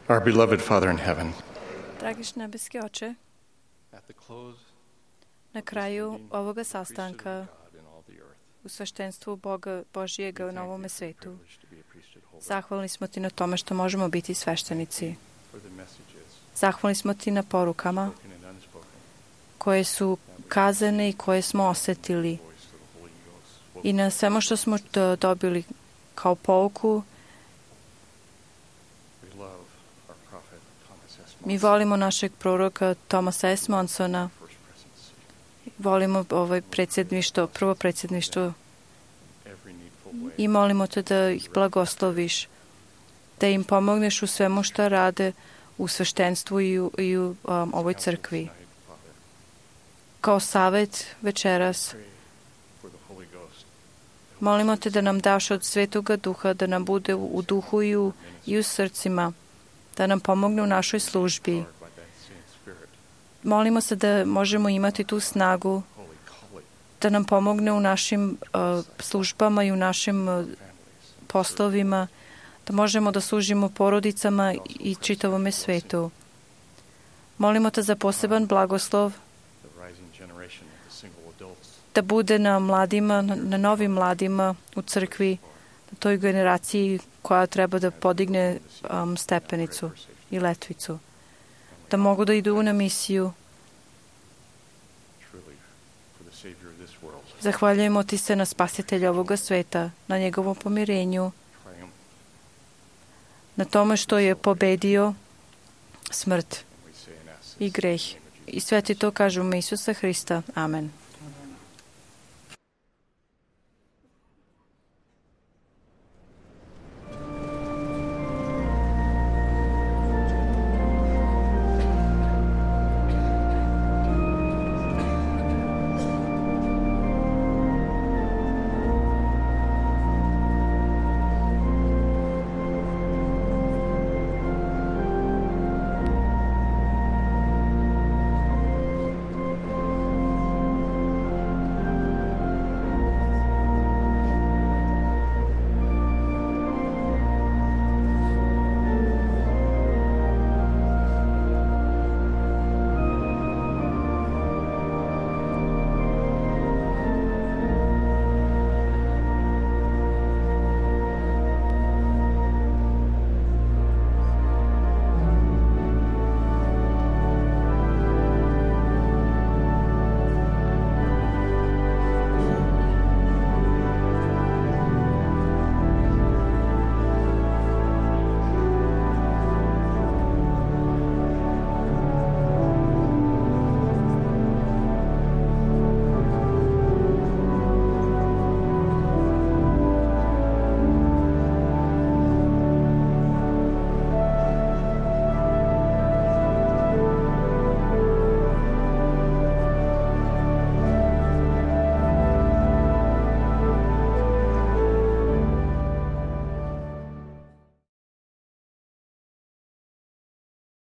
Our beloved Father in heaven, Dragiš nebeski oče, na kraju ovoga sastanka u sveštenstvu Boga Božijega na ovome svetu, zahvalni smo ti na tome što možemo biti sveštenici. Zahvalni smo ti na porukama koje su kazane i koje smo osetili i na svemu što smo dobili kao pouku. Mi volimo našeg proroka Thomasa S. Monsona, volimo ovaj predsjedništvo, prvo predsjedništvo i molimo te da ih blagosloviš, da im pomogneš u svemu što rade u sveštenstvu i u, i u um, ovoj crkvi. Kao savjet večeras, molimo te da nam daš od Svetoga Duha, da nam bude u, u duhu i u, i u srcima, da nam pomogne u našoj službi. Molimo se da možemo imati tu snagu, da nam pomogne u našim uh, službama i u našim uh, poslovima, da možemo da služimo porodicama i čitavome svetu. Molimo te za poseban blagoslov da bude na mladima, na novim mladima u crkvi, na toj generaciji koja treba da podigne um, stepenicu i letvicu, da mogu da idu na misiju. Zahvaljujemo ti se na spasitelja ovoga sveta, na njegovom pomirenju, na tome što je pobedio smrt i greh. I sve ti to kažemo Isusa Hrista. Amen.